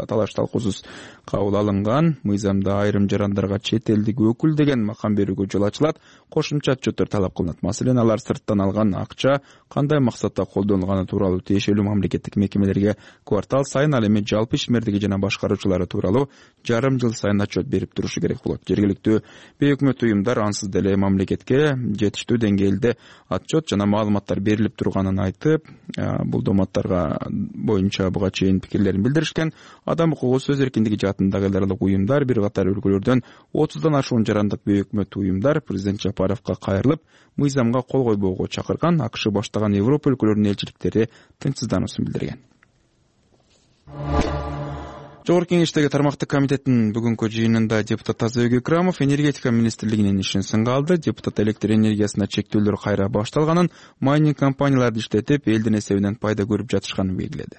талаш талкуусуз кабыл алынган. Мыйзамда айрым жарандарга чет элдик өкүл деген макам берүүгө жол ачылат, кошумча отчеттер талап кылынат. Маселен, алар сырттан алган акча кандай максатта колдонулганы тууралуу тиешелүү мамлекеттик мекемелерге квартал сайын, ал эми жалпы ишмердиги жана башкаруучулары тууралуу жарым жыл сайын отчет берип турушу керек болот. Жергиликтүү бейөкмөт уюмдар ансыз деле мамлекетке жетиштүү деңгээлде отчет жана маалыматтар берилип турганын айтып, бул доматтарга боюнча буга чейин пикирлерин билдиришкен. Адам укугу, сөз эркиндиги жаатындагы эл аралык уюмдар, бир катар өлкөлөрдөн 30дан ашуун жарандык бейөкмөт уюмдар президент Жапаровго кайрылып, мыйзамга кол койбоого чакырган. АКШ баштаган Европа өлкөлөрүнүн элчиликтери тынчсыздануусун билдирген. Жогорку Кеңештеги тармактык комитеттин бүгүнкү жыйынында депутат Тазабек Экрамов энергетика министрлигинин ишин сынга алды. Депутат электр энергиясына чектөөлөр кайра башталганын, майнинг компанияларды иштетип, элдин эсебинен пайда көрүп жатышканын белгиледи.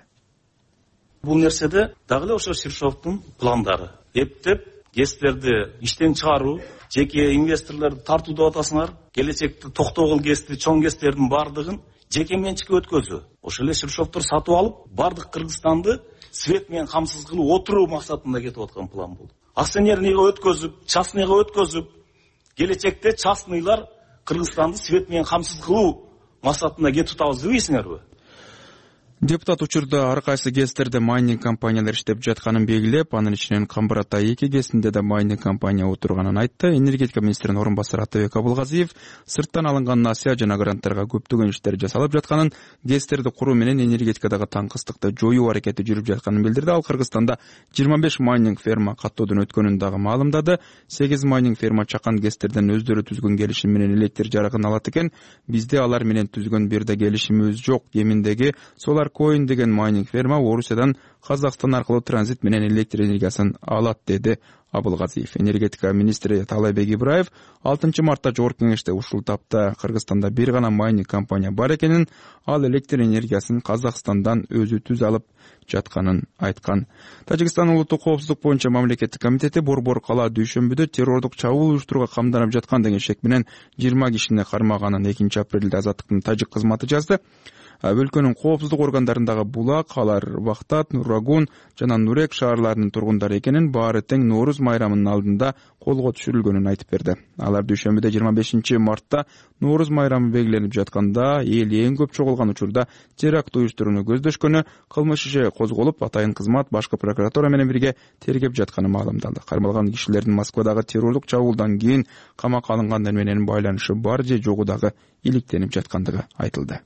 Бул нерседе дагы эле ошо Ширшовдун пландары. Эптеп ГЭСтерди иштен чыгаруу, жеке инвесторлорду тартуу деп атасыңар, келечекте токтогул ГЭСти, чоң ГЭСтердин бардыгын жеке менчикке өткөзүү. Ошол эле Ширшовдор сатып алып, бардык Кыргызстанды свет менен камсыз кылып отуруу максатында кетип аткан план болду. Акционерныйга өткөзүп, частныйга өткөзүп, келечекте частныйлар Кыргызстанды свет менен камсыз кылуу максатында кетип атабыз дебейсиңерби? Депутат учурда ар кайсы ГЭСтерде майнинг компаниялар иштеп жатканын белгилеп, анын ичинен Камбар-Атай 2 ГЭСинде да майнинг компания отурганын айтты. Энергетика министринин орун басары Атабек Абылгазиев сырттан алынган насыя жана гранттарга көптөгөн иштер жасалып жатканын, ГЭСтерди куруу менен энергетикадагы таңкыстыкты жоюу аракети жүрүп жатканын билдирди. Ал Кыргызстанда 25 майнинг ферма каттоодон өткөнүн дагы маалымдады. 8 майнинг ферма чакан ГЭСтерден өздөрү түзгөн келишим менен электр жарыгын алат экен. Бизде алар менен түзгөн бир да келишимибиз жок. Кеминдеги Solar Coin деген майнинг ферма Орусиядан Казакстан аркылуу транзит менен электр энергиясын алат, деди Абылгазиев. Энергетика министри Таалайбек Ибраев 6 мартта Жогорку Кеңеште ушул тапта Кыргызстанда бир гана майнинг компания бар экенин, ал электр энергиясын Казакстандан өзү түз алып жатканын айткан. Тажикстан улуттук коопсуздук боюнча мамлекеттик комитети Борбор кала дүйшөмбүдө террордук чабуул уюштурууга камданып жаткан деген шек менен 20 кишини кармаганын 2 апрелде Азаттыктын тажик кызматы жазды. Өлкөнүн коопсуздук органдарындагы Булак, алар Бактат, Нурагун жана Нурек шаарларынын тургундары экенин, баары тең Нооруз майрамынын алдында колго түшүрүлгөнүн айтып берди. Алар дүйшөмбүдө 25 мартта Нооруз майрамы белгиленип жатканда эл эң көп чогулган учурда теракт уюштурууну көздөшкөнү, кылмыш иши козголуп, атайын кызмат башкы прокуратура менен бирге тергеп жатканы маалымдалды. Кармалган кишилердин Москвадагы террордук чабуулдан кийин камакка алынгандар менен байланышы бар же жогу дагы иликтенип жаткандыгы айтылды.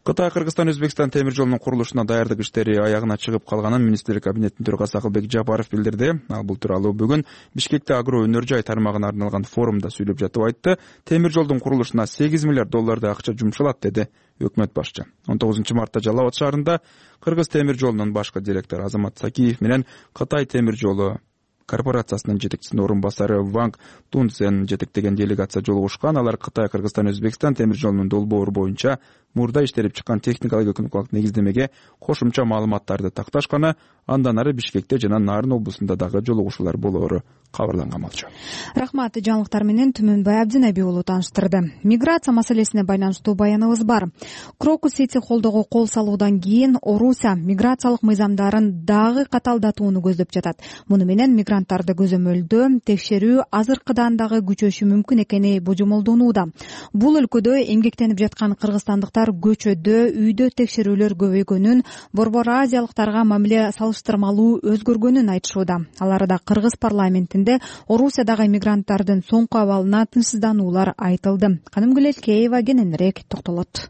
Кытай Кыргызстан Өзбекстан темир жолунун курулушуна даярдык иштери аягына чыгып калганын министрлик кабинетинин төрагасы Акылбек Жапаров билдирди. Ал бул тууралуу бүгүн Бишкекте агро өнөр жай тармагына арналган форумда сүйлөп жатып айтты. Темир жолдун курулушуна 8 миллиард доллардай акча жумшалат, деди өкмөт башчы. 19 мартта Жалал Абад шаарында Кыргыз темир жолунун башкы директору Азамат Сакиев менен Кытай темир жолу корпорациясынын жетекчисинин орун басары Ванг Тунцен жетектеген делегация жолугушкан. Алар Кытай Кыргызстан Өзбекстан темир жолунун долбоору боюнча мурда иштелип чыккан техникалык экономикалык негиздемеге кошумча маалыматтарды такташканы, андан ары Бишкекте жана Нарын облусунда дагы жолугушуулар болоору кабарланган болчу. Рахмат, жаңылыктар менен Түмөнбай Абдинабий уулу тааныштырды. Миграция маселесине байланыштуу баяныбыз бар. Крокус Сити холдоого кол салуудан кийин Орусия миграциялык мыйзамдарын дагы каталдатууну көздөп жатат. Муну менен мигранттарды көзөмөлдөө, текшерүү азыркыдан дагы күчөшү мүмкүн экени божомолдонууда. Бул өлкөдө эмгектенип жаткан кыргызстандыктар көчөдө, үйдө текшерүүлөр көбөйгөнүн, борбор азиялыктарга мамиле салыштырмалуу өзгөргөнүн айтышууда. Аларда Кыргыз парламентинде Орусиядагы мигранттардын соңку абалына тынчсыздануулар айтылды. Канымгүл Элкеева кененирээк токтолот.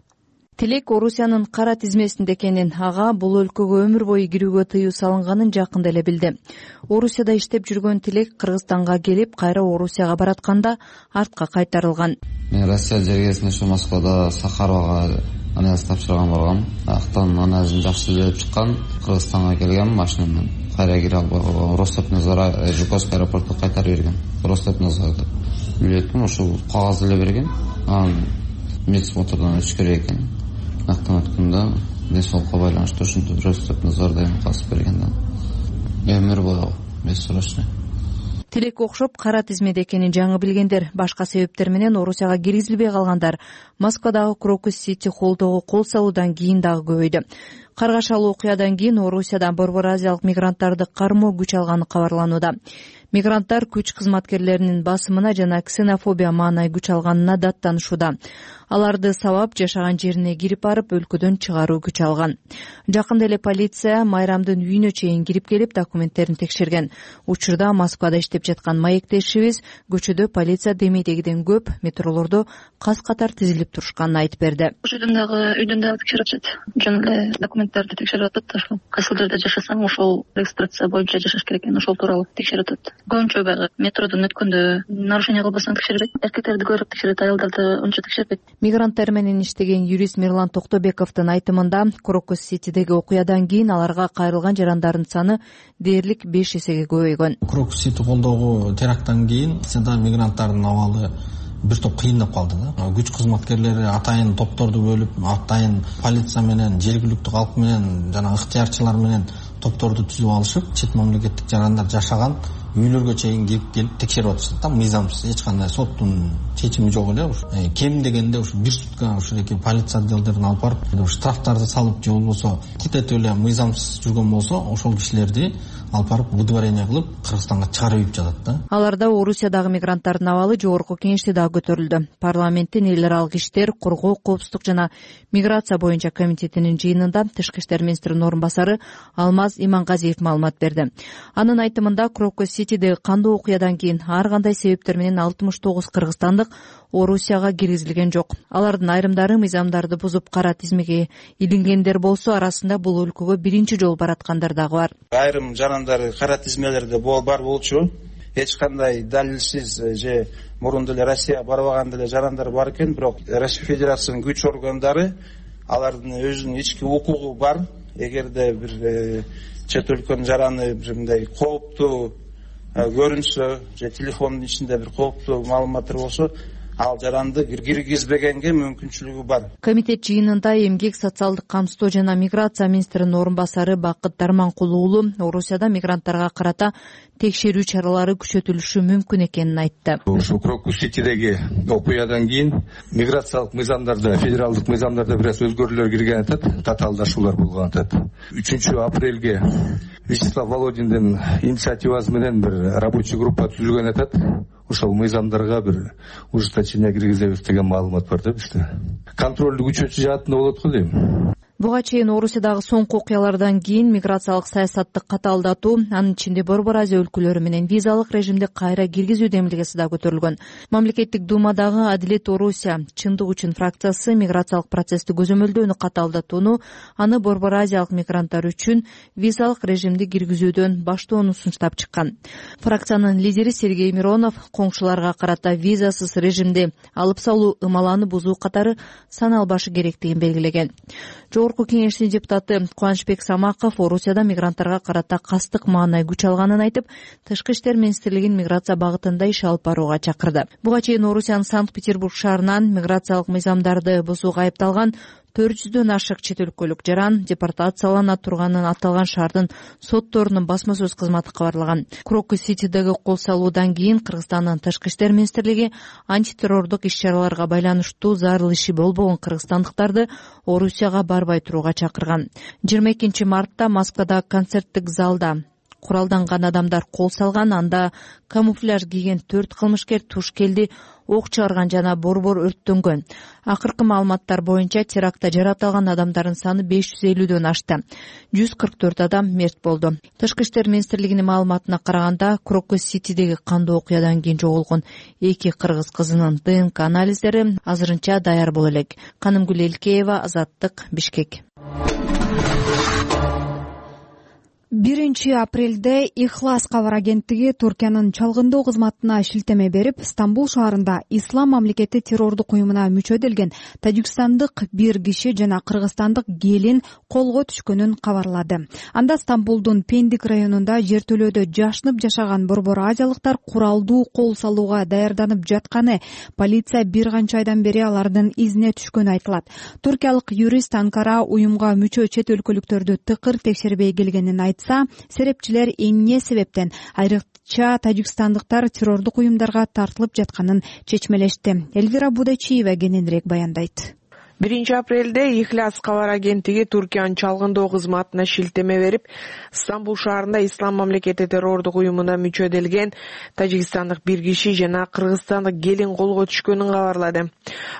Тилек Орусиянын кара тизмесинде экенин, ага бул өлкөгө өмүр бою кирүүгө тыюу салынганын жакында эле билди. Орусияда иштеп жүргөн Тилек Кыргызстанга келип, кайра Орусияга баратканда артка кайтарылган. Мен Россия жергесинде ушу Москвада Сахаровага анализ тапшырган болгом. Актан анализин жакшы берип чыккан. Кыргызстанга келгем машина менен. Кайра кире албай Ростовнадзор Жуковский аэропортко кайтарып берген. Ростовнадзор билетим ушул кагаз эле берген. Анан медсмотрдон өтүш керек экен. Актан өткөндө ден соолукка байланыштуу ушинтип Ростовнадзордон касып берген да. Өмүр бою бессрочный. Тилек окшоп кара тизмеде экенин жаңы билгендер, башка себептер менен Орусияга киргизилбей калгандар Москвадагы Крокус Сити холдоого кол салуудан кийин дагы көбөйдү. Каргашалуу окуядан кийин Орусиядан борбор азиялык мигранттарды кармоо күч алганы кабарланууда. Мигранттар күч кызматкерлеринин басымына жана ксенофобия маанай күч алганына даттанышууда. Аларды сабап жашаган жерине кирип барып өлкөдөн чыгаруу күч алган. Жакында эле полиция майрамдын үйүнө чейин кирип келип документтерин текшерген. Учурда Москвада иштеп жаткан маектешибиз көчөдө полиция демейдегиден көп метролордо кас катар тизилип турушканын айтып берди. Ошол үйдөн дагы текшерип атышат. Жөн эле документтерди текшерип атат. Ошол кайсыл жерде жашасаң ошол регистрация боюнча жашаш керек экен, ошол тууралуу текшерип атат. көбүнчө баягы метродон өткөндө нарушение кылбастан текшербейт, эркектерди көрүп текшерет, аялдарды унча текшербейт. Мигранттар менен иштеген юрист Мирлан Токтобековдун айтымында Крокус-Ситидеги окуядан кийин аларга кайрылган жарандардын саны дээрлик 5 эсеге көбөйгөн. Крокус-Сити колдогу теракттан кийин мигранттардын абалы бир топ кыйындап калды да. Күч кызматкерлери атайын топторду бөлүп, атайын полиция менен, жергиликтүү калк менен жана ыктыярчылар менен топторду түзүп алышып, чет мамлекеттик жарандар жашаган үйлөргө чейин келип текшерип атышты да, мыйзамсыз, эч кандай соттун чечими жок эле. Кем дегенде ушу бир сутка ушундайки полиция отделдерин алып барып, штрафтарды салып же болбосо кететип эле мыйзамсыз жүргөн болсо, ошол кишилерди алып барып выдворение кылып Кыргызстанга чыгарып ийип жатат да. Аларда Орусиядагы мигранттардын абалы жогорку кеңеште дагы көтөрүлдү. Парламенттин эл аралык иштер, коргоо, коопсуздук жана миграция боюнча комитетинин жыйынында Тышкы иштер министринин орун басары Алмаз Имангазиев маалымат берди. Анын айтымында Крокус-Ситидеги кандуу окуядан кийин ар кандай себептер менен 69 кыргызстандык Орусияга киргизилген жок. Алардын айрымдары мыйзамдарды бузуп кара тизмеге илингендер болсо, арасында бул өлкөгө биринчи жолу бараткандар дагы бар. Айрым жарандар кара тизмелерде бар болчу. Эч кандай далилсиз же мурун деле Россия барбаган деле жарандар бар экен, бирок Россия Федерациянын күч органдары алардын өзүнүн ички укугу бар. Эгерде бир чет өлкөнүн жараны бир мындай кооптуу көрүнсө же телефондун ичинде бир кооптуу маалыматтар болсо, ал жаранды киргизбегенге мүмкүнчүлүгү бар. Комитет жыйынында эмгек, социалдык камсыздоо жана миграция министринин орун басары Бакыт Дарманкулу уулу Орусияда мигранттарга карата текшерүү чаралары күчөтүлүшү мүмкүн экенин айтты. Ушу Крокус-Ситидеги окуядан кийин миграциялык мыйзамдарда, федералдык мыйзамдарда бир аз өзгөрүүлөр кирген атат, татаалдашуулар болгон атат. 3-апрелге Вячеслав Володиндин инициативасы менен бир рабочий группа түзүлгөн атат. Ошол мыйзамдарга бир ужесточение киргизебиз деген маалымат бар да бизде. Контролду күчөтүү жаатында болот го дейм. Буга чейин Орусиядагы соңку окуялардан кийин миграциялык саясатты катаалдатуу, анын ичинде Борбор Азия өлкөлөрү менен визалык режимди кайра киргизүү демилгеси да көтөрүлгөн. Мамлекеттик думадагы Адилет Орусия чындык үчүн фракциясы миграциялык процессти көзөмөлдөөнү катаалдатууну, аны Борбор Азиялык мигранттар үчүн визалык режимди киргизүүдөн баштоону сунуштап чыккан. Фракциянын лидери Сергей Миронов коңшуларга карата визасыз режимди алып салуу ымаланы бузуу катары саналбашы керектигин белгилеген. Жогорку кеңештин депутаты Кубанычбек Самаков Орусияда мигранттарга карата кастык маанай күч алганын айтып, Тышкы иштер министрлигин миграция багытында иш алып барууга чакырды. Буга чейин Орусиянын Санкт-Петербург шаарынан миграциялык мыйзамдарды бузууга айыпталган 400дөн ашык чет өлкөлүк жаран депортациялана турганын аталган шаардын сотторунун басма сөз кызматы кабарлаган. Крокус-Ситидеги кол салуудан кийин Кыргызстандын Тышкы иштер министрлиги антитеррордук иш-чараларга байланыштуу зарыл иши болбогон кыргызстандыктарды Орусияга барбай турууга чакырган. 22 мартта Москвадагы концерттик залда куралданган адамдар кол салган, анда камуфляж кийген 4 кылмышкер туш келди, ок чыгарган жана борбор өрттөнгөн. Акыркы маалыматтар боюнча терактта жаратылган адамдардын саны 550дөн ашты. 144 адам мерт болду. Тышкы иштер министрлигинин маалыматына караганда, Крокус-Ситидеги кандуу окуядан кийин жоголгон 2 кыргыз кызынын ДНК анализдери азырынча даяр боло элек. Канымгүл Элкеева, Азаттык, Бишкек. 1 апрелде Ихлас кабар агенттиги Туркиянын чалгындоо кызматына шилтеме берип, Стамбул шаарында Ислам мамлекети террордук уюмуна мүчөдөлгөн тажикстандык бир киши жана кыргызстандык келин колго түшкөнүн кабарлады. Анда Стамбулдун Пендик районунда жертөлөөдө жашынып жашаган борбор азиялыктар куралдуу кол салууга даярданып жатканы, полиция бир канча айдан бери алардын изине түшкөнү айтылат. Туркиялык юрист Анкара уюмга мүчө чет өлкөлүктөрдү тыкыр текшербей келгенин айтса, серепчилер эмне себептен айрыкча тажикстандыктар террордук уюмдарга тартылып жатканын чечмелешти. Элвира Будачиева кененирээк баяндайт. 1 апрелде Ихлас кабар агенттиги Туркиянын чалгындоо кызматына шилтеме берип, Стамбул шаарында Ислам мамлекети террордук уюмуна мүчөдөлгөн тажикстандык бир киши жана кыргызстандык келин колго түшкөнүн кабарлады.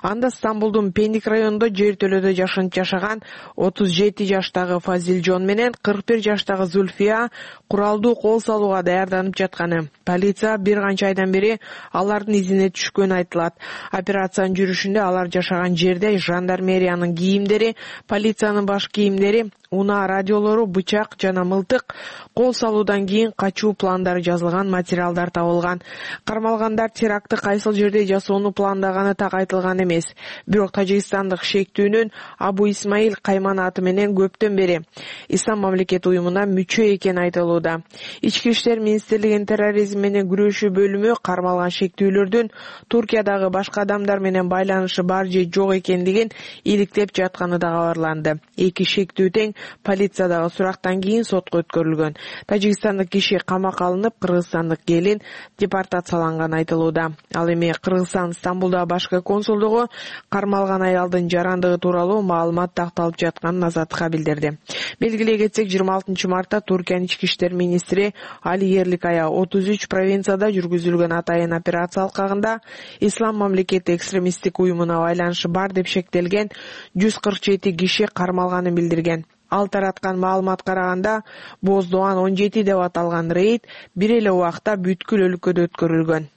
Анда Стамбулдун Пендик районунда жертөлөөдө жашынып жашаган 37 жаштагы Фазилжон менен 41 жаштагы Зульфия куралдуу кол салууга даярданып жатканы, Полиция бир канча айдан бери алардын изине түшкөнү айтылат. Операциянын жүрүшүндө алар жашаган жерде жандармериянын кийимдери, полициянын баш кийимдери, унаа радиолору, бычак жана мылтык, кол салуудан кийин качуу пландары жазылган материалдар табылган. Кармалгандар терактты кайсыл жерде жасоону пландаганы так айтылган эмес. Бирок тажикстандык шектүүнүн Абу Исмаил Кайман аты менен көптөн бери Ислам мамлекети уюмуна мүчө экени айтылууда. Ички иштер министрлигинин терроризм менен күрөшүү бөлүмү кармалган шектүүлөрдүн Туркиядагы башка адамдар менен байланышы бар же жок экендигин иликтеп жатканы да кабарланды. Эки шектүү тең полициядагы сурактан кийин сотко өткөрүлгөн. Тажикстандык киши камакка алынып, кыргызстандык келин депортацияланганы айтылууда. Ал эми Кыргызстан Стамбулдагы башкы консулдугу кармалган аялдын жарандыгы тууралуу маалымат такталып жатканын Азаттыкка билдирди. Белгилей кетсек, 26 мартта Туркиянын ички иштер министри Али Ерликая 33 провинцияда жүргүзүлгөн атайын операция алкагында Ислам мамлекети экстремисттик уюмуна байланышы бар деп шектелген 147 киши кармалганын билдирген. Ал тараткан маалыматка караганда Боздоан 17 деп аталган рейд бир эле убакта бүткүл өлкөдө өткөрүлгөн.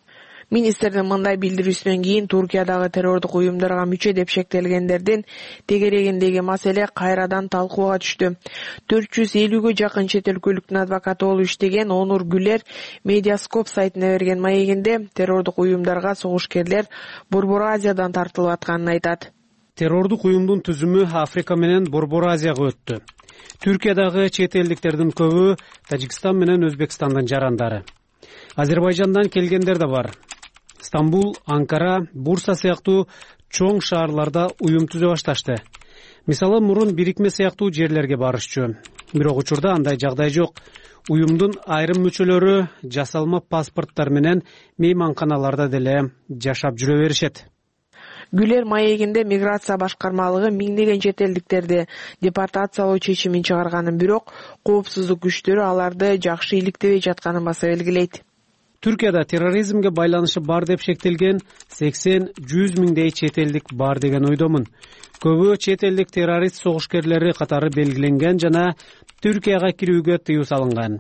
Министрдин мындай билдирүүсүнөн кийин Туркиядагы террордук уюмдарга мүчө деп шектелгендердин тегерегиндеги маселе кайрадан талкууга түштү. 450-гө жакын чет өлкөлүктүн адвокаты болуп иштеген Онур Гүлер Медиаскоп сайтына берген маегинде террордук уюмдарга согушкерлер Борбор Азиядан тартылып атканын айтат. Террордук уюмдун түзүмү Африка менен Борбор Азияга өттү. Түркиядагы чет элдиктердин көбү Тажикстан менен Өзбекстандын жарандары. Азербайжандан келгендер да бар. Стамбул, Анкара, Бурса сыяктуу чоң шаарларда уюм түзө башташты. Мисалы, мурун бирикме сыяктуу жерлерге барышчу. Бирок учурда андай жагдай жок. Уюмдун айрым мүчөлөрү жасалма паспорттар менен мейманканаларда деле жашап жүрө беришет. Гүлер маегинде миграция башкармалыгы миңдеген чет элдиктерди депортациялоо чечимин чыгарганын, бирок коопсуздук күчтөрү аларды жакшы иликтебей жатканын баса белгилейт. Түркияда терроризмге байланышы бар деп шектелген 80-100 миңдей чет элдик бар деген ойдомун. Көбү чет элдик террорист согушкерлери катары белгиленген жана Түркияга кирүүгө тыюу салынган.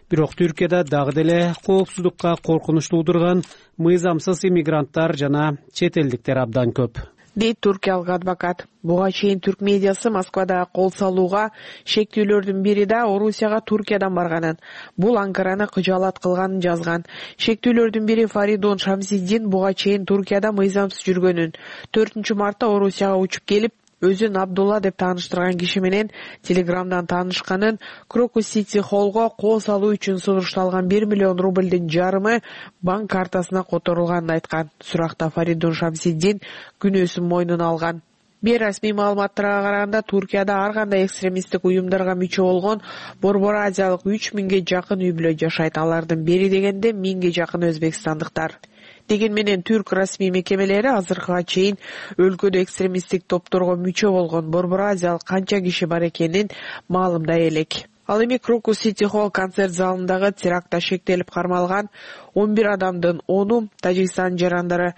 Бирок Түркияда дагы деле коопсуздукка коркунуч туудурган мыйзамсыз иммигранттар жана чет элдиктер абдан көп, дейт туркиялык адвокат. Буга чейин түрк медиасы Москвада кол салууга шектүүлөрдүн бири да Орусияга Туркиядан барганын, бул Анкараны кыжаалат кылганын жазган. Шектүүлөрдүн бири Фаридун Шамсиддин буга чейин Туркияда мыйзамсыз жүргөнүн, 4 мартта Орусияга учуп келип, өзүн Абдулла деп тааныштырган киши менен Телеграмдан таанышканын, Крокус Сити Холлго кол салуу үчүн сунушталган 1 миллион рублдун жарымы банк картасына которулганын айткан. Суракта Фаридун Шамсиддин күнөөсүн мойнуна алган. Бейрасмий маалыматтарга караганда, Туркияда ар кандай экстремисттик уюмдарга мүчө болгон Борбор Азиялык 3000ге жакын үй бүлө жашайт. Алардын бери дегенде 1000ге жакын өзбекстандыктар. Деген менен түрк расмий мекемелери азыркыга чейин өлкөдө экстремисттик топторго мүчө болгон Борбор Азиялык канча киши бар экенин маалымдай элек. Ал эми Крокус Сити Холл концерт залындагы терактта шектелип кармалган 11 адамдын 10-у Тажикстан жарандары.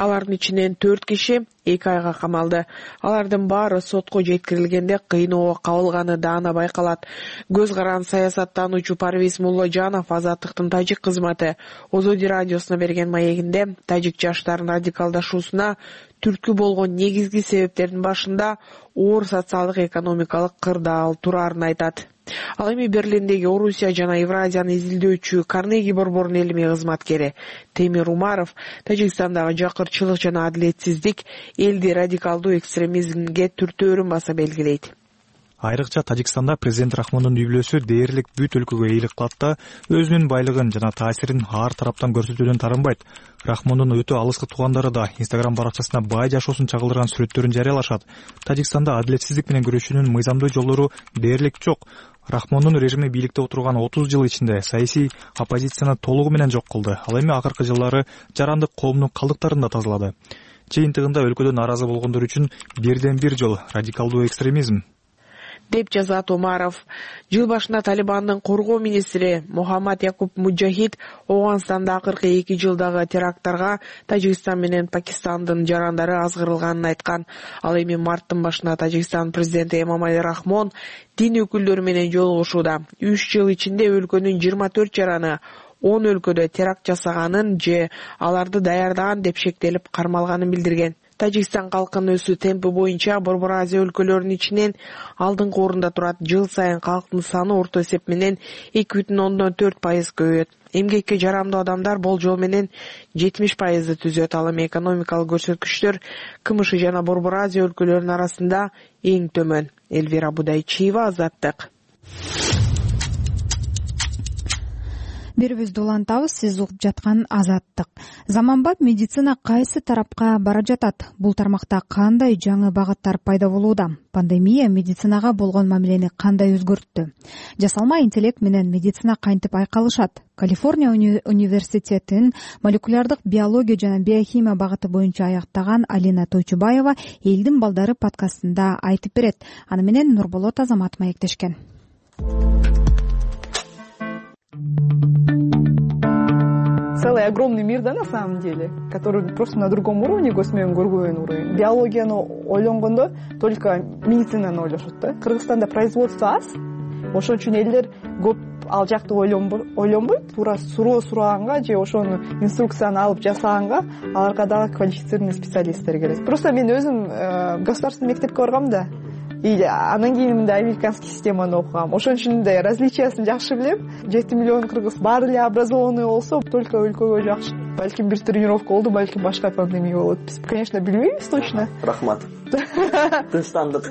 Алардын ичинен 4 киши 2 айга камалды. Алардын баары сотко жеткирилгенде кыйноого кабылганы даана байкалат. Көз каран саясаттануучу Парвиз Мулложанов Азаттыктын тажик кызматы Озоди радиосуна берген маегинде тажик жаштарынын радикалдашуусуна түрткү болгон негизги себептердин башында оор социалдык экономикалык кырдаал турарын айтат. Ал эми Берлиндеги Орусия жана Евразияны изилдөөчү Карнеги борборунун илимий кызматкери Темир Умаров Тажикстандагы жакырчылык жана адилетсиздик элди радикалдуу экстремизмге түртөөрүн баса белгилейт. Айрыкча Тажикстанда президент Рахмондун үй бүлөсү дээрлик бүт өлкөгө ыйлык кылат да, өзүнүн байлыгын жана таасирин ар тараптан көрсөтүүдөн тарынбайт. Рахмондун өтө алыскы туугандары да Instagram баракчасына бай жашоосун чагылдырган сүрөттөрүн жарыялашат. Тажикстанда адилетсиздик менен күрөшүүнүн мыйзамдуу жолдору дээрлик жок. Рахмондун режими бийликте отурган 30 жыл ичинде саясий оппозицияны толугу менен жок кылды. Ал эми акыркы жылдары жарандык коомдун калдыктарын да тазалады. Жыйынтыгында өлкөдө нааразы болгондор үчүн бирден бир жол радикалдуу экстремизм, деп жазат Умаров. Жыл башында Талибандын коргоо министри Мухаммад Якуб Муджахид Оганстанда акыркы 2 жылдагы теракттарга Тажикстан менен Пакистандын жарандары азгырылганын айткан. Ал эми марттын башында Тажикстан президенти Эмомали Рахмон дин өкүлдөрү менен жолугушууда. 3 жыл ичинде өлкөнүн 24 жараны 10 өлкөдө теракт жасаганын же аларды даярдаган деп шектелип кармалганын билдирген. Тажикстан калкынын өсүү темпи боюнча Борбор Азия өлкөлөрүнүн ичинен алдыңкы орунда турат. Жыл сайын калктын саны орто эсеп менен 2,4% көбөйөт. Эмгекке жарамдуу адамдар болжол менен 70% түзөт. Ал эми экономикалык көрсөткүчтөр КМШ жана Борбор Азия өлкөлөрүнүн арасында эң төмөн. Элвира Будайчиева, Азаттык. Берүүбүздү улантабыз, сиз угуп жаткан Азаттык. Заманбап медицина кайсы тарапка бара жатат? Бул тармакта кандай жаңы багыттар пайда болууда? Пандемия медицинага болгон мамилени кандай өзгөрттү? Жасалма интеллект менен медицина кантип айкалышат? Калифорния университетинин молекулярдык биология жана биохимия багыты боюнча аяктаган Алина Тойчубаева элдин балдары подкастында айтып берет. Аны менен Нурболот Азамат маектешкен. Целый огромный мир, да, на самом деле, который просто на другом уровне, көзмөн көргөн уровень. Биологияны ойлонгондо только медицинаны ойлошот да. Кыргызстанда производство аз, ошон үчүн элдер көп ал жакты ойлонбойт. Туура суроо сураганга же ошону инструкцияны алып жасаганга аларга дагы квалифицированный специалисттер керек. Просто мен өзүм государственный мектепке баргам да. И анан кийин мындай американский системаны окугам. Ошон үчүн да различиясын жакшы билем. 7 миллион кыргыз баары эле образованный болсо, только өлкөгө жакшы. Балким бир тренировка болду, балким башка пандемия болот. Биз, конечно, билбейбиз точно. Рахмат. Тынчтандык.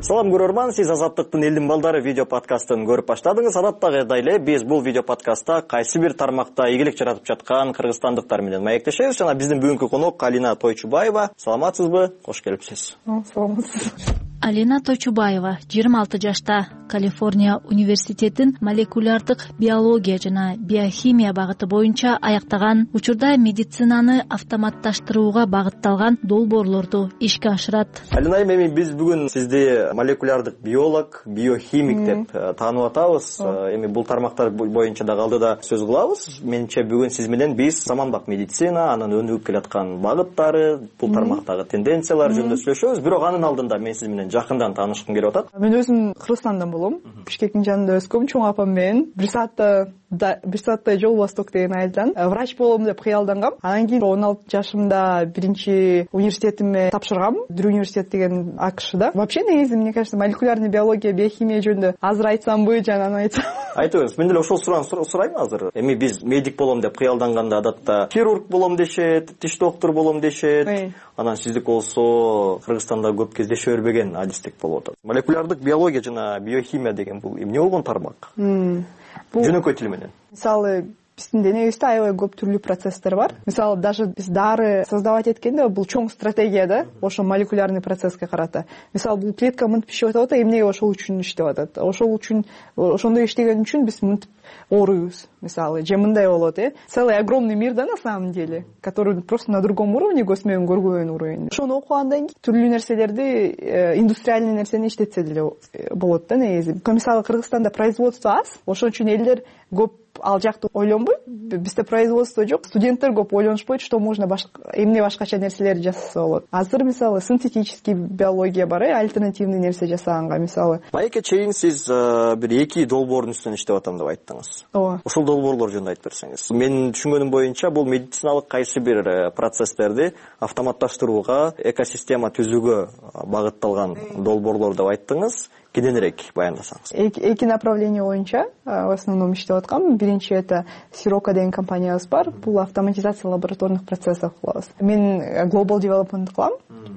Салам көрөрман, сиз Азаттыктын элдин балдары видео подкастын көрүп баштадыңыз. Адаттагыдай эле биз бул видео подкастта кайсы бир тармакта ийгилик жаратып жаткан кыргызстандыктар менен маектешебиз. Жана биздин бүгүнкү конок Алина Тойчубаева. Саламатсызбы? Кош келипсиз. Саламатсыз. Алина Тойчубаева 26 жашта, Калифорния университетин молекулярдык биология жана биохимия багыты боюнча аяктаган. Учурда медицинаны автоматташтырууга багытталган долбоорлорду ишке ашырат. Алина эми биз бүгүн сизди молекулярдык биолог, биохимик деп таанып атабыз. Эми бул тармактар боюнча дагы алдыда сөз кылабыз. Менимче бүгүн сиз менен биз заманбап медицина, анын өнүгүп келаткан багыттары, бул тармактагы тенденциялар жөнүндө сүйлөшөбүз. Бирок анын алдында мен сиз менен жакындан таанышкым келип атат. Мен өзүм Кыргызстандан болом. Бишкектин жанында өскөм, чоң апам менен. Бир сааттай жол Восток деген айылдан. Врач болом деп кыялдангам. Анан кийин 16 жашымда биринчи университетиме тапшыргам. Дрю университет деген АКШда. Вообще негизи, мне кажется, молекулярный биология, биохимия жөнүндө азыр айтсамбы, жана аны айтсам. Айтыңыз, мен деле ошол суроonu сурайм азыр. Эми биз медик болом деп кыялданганда адатта хирург болом дешет, тиш доктор болом дешет. Анан сиздик болсо Кыргызстанда көп кездеше бербеген адистик болуп атат. Молекулярдык биология жана биохимия деген бул эмне болгон тармак? Жөнөкөй тил менен. Мисалы, биздин денебизде аябай көп түрлүү процесстер бар. Мисалы, даже биз дары создавать эткенде бул чоң стратегия да, ошо молекулярный процесске карата. Мисалы, бул клетка мынтип иштеп атат, эмнеге ошол үчүн иштеп атат? Ошол үчүн, ошондой иштеген үчүн биз мынтип ооруйбуз. Мисалы, же мындай болот, Целый огромный мир, да, на самом деле, который просто на другом уровне, көзмөн көргөн уровень. Ошону окугандан кийин түрлүү нерселерди, индустриальный нерсени иштетсе деле болот да, негизи. Мисалы, Кыргызстанда производство аз, ошон үчүн элдер көп ал жакты ойлонбойт. Бизде производство жок, студенттер көп ойлонушпойт, что можно эмне башкача нерселерди жасаса болот. Азыр мисалы синтетический биология бар, альтернативный нерсе жасаганга, мисалы. Майке чейин сиз бир 2 долбоордун үстүнөн иштеп атам деп айттыңыз. Ооба. Ошол долбоорлор жөнүндө айтып берсеңиз. Менин түшүнгөнүм боюнча бул медициналык кайсы бир процесстерди автоматташтырууга, экосистема түзүүгө багытталган долбоорлор деп айттыңыз. Кененирээк баяндасаңыз. Эки направление боюнча в основном иштеп аткам. Биринчи это Сирока деген компаниябыз бар. Бул автоматизация лабораторных процессов кылабыз. Мен global development кылам.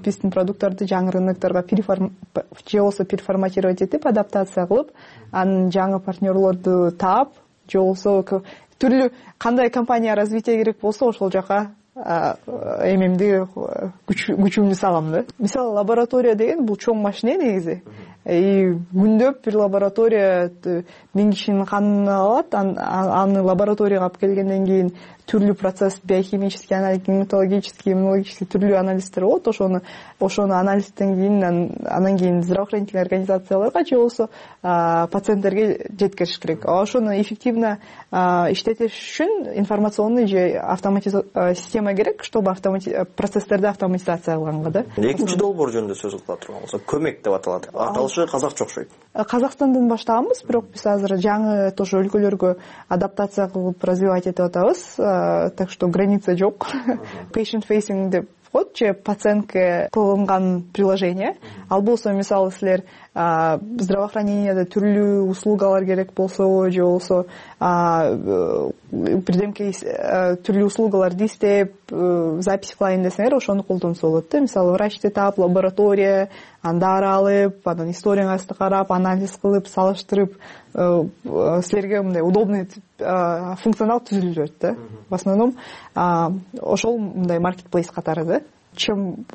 Биздин продукттарды жаңы рынокторго же болсо переформатировать этип, адаптация кылып, анын жаңы партнерлорду таап, же болсо түрлүү кандай компания развитие керек болсо ошол жака эмемди күчүмдү салам да. Мисалы, лаборатория деген бул чоң машина негизи. Күндөп бир лаборатория 1000 кишинин канын алат, аны лабораторияга алып келгенден кийин түрлүү процесс, биохимический анализ, гематологический, иммунологический түрлүү анализдер болот. Ошону анализден кийин анан кийин здравоохранительный организацияларга же болсо пациенттерге жеткириш керек. Ошону эффективно иштетиш үчүн информационный же система керек, чтобы процесстерди автоматизация кылганга да. Экинчи долбоор жөнүндө сөз кыла турганбыз. Көмөк деп аталат. Аталышы башы казакча окшойт. Казакстандан баштаганбыз, бирок биз азыр жаңы тоже өлкөлөргө адаптация кылып развивать этип атабыз, так что граница жок. Patient facing деп коет же пациентке кылынган приложение. Ал болсо мисалы силер здравоохраненияда түрлүү услугалар керек болсо же болсо бирдемке түрлүү услугаларды издеп запись кылайын десеңер ошону колдонсо болот да. Мисалы врачты таап, лаборатория, анда алып, анан историяңызды карап, анализ кылып, салыштырып силерге мындай удобный функционал түзүлөт да. В основном ошол мындай маркетплейс катары да. Чем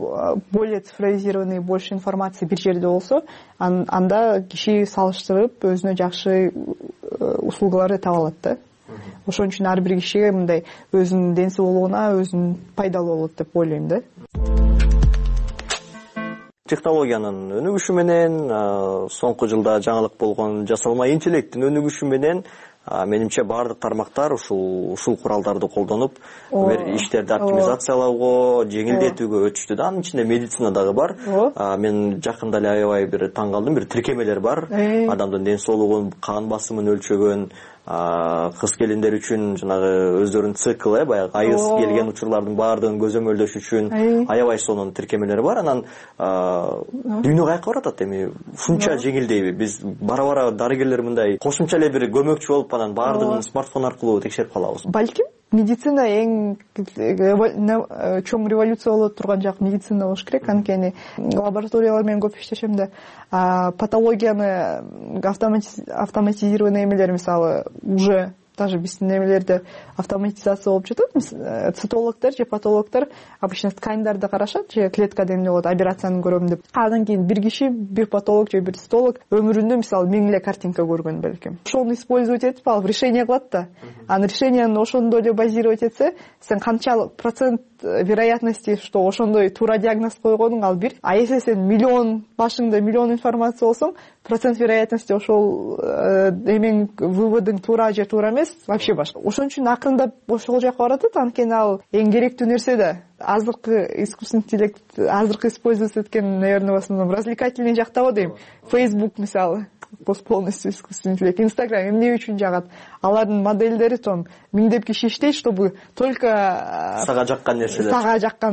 более цифровизированный, больше информации бир жерде болсо, анда киши салыштырып өзүнө жакшы услугаларды таба алат да. Ошон үчүн ар бир кишиге мындай өзүнүн ден соолугуна өзүнүн пайдалуу болот деп ойлойм да. Технологиянын өнүгүшү менен, соңку жылда жаңылык болгон жасалма интеллекттин өнүгүшү менен менимче баардык тармактар ушул куралдарды колдонуп иштерди оптимизациялоого, жеңилдетүүгө өтүштү да. Анын ичинде медицина дагы бар. Мен жакында эле аябай бир таң калдым, бир тиркемелер бар. Адамдын ден соолугун, кан басымын өлчөгөн, кыз келиндер үчүн жанагы өздөрүнүн цикл, баягы айыз келген учурлардын баардыгын көзөмөлдөш үчүн аябай сонун тиркемелер бар. Анан дүйнө каяка баратат эми? Ушунча жеңилдейби? Биз бара-бара дарыгерлер мындай кошумча эле бир көмөкчү болуп анан баардыгын смартфон аркылуу текшерип калабыз. Балким медицина эң чоң революция боло турган жак медицина болуш керек. Анткени лабораториялар менен көп иштешем да, патологияны автоматизированный эмелер, мисалы, уже даже биздин эмелерде автоматизация болуп жатат. Цитологдор же патологдор обычно тканьдарды карашат, же клеткада эмне болот, операцияны көрөм деп. Андан кийин бир киши, бир патолог же бир цитолог өмүрүндө мисалы 1000 эле картинка көргөн белким. Ошону использовать этип алып решение кылат да. Анын решенияны ошондой эле базировать этсе, сен канчалык процент вероятности, что ошондой туура диагноз койгонуң ал бир. А если сен миллион башыңда миллион информация болсоң, процент вероятности ошол эмен выводың туура же туура эмес вообще башка. Ошон үчүн акырындап ошол жака баратат. Анткени ал эң керектүү нерсе да. Азыркы искусственный интеллект азыркы использовать эткен, наверное, в основном развлекательный жакта дейм. Facebook мисалы полностью искусственный интеллект. Instagram эмне үчүн жагат? Алардын модельдери том миңдеп киши иштейт, чтобы только сага жаккан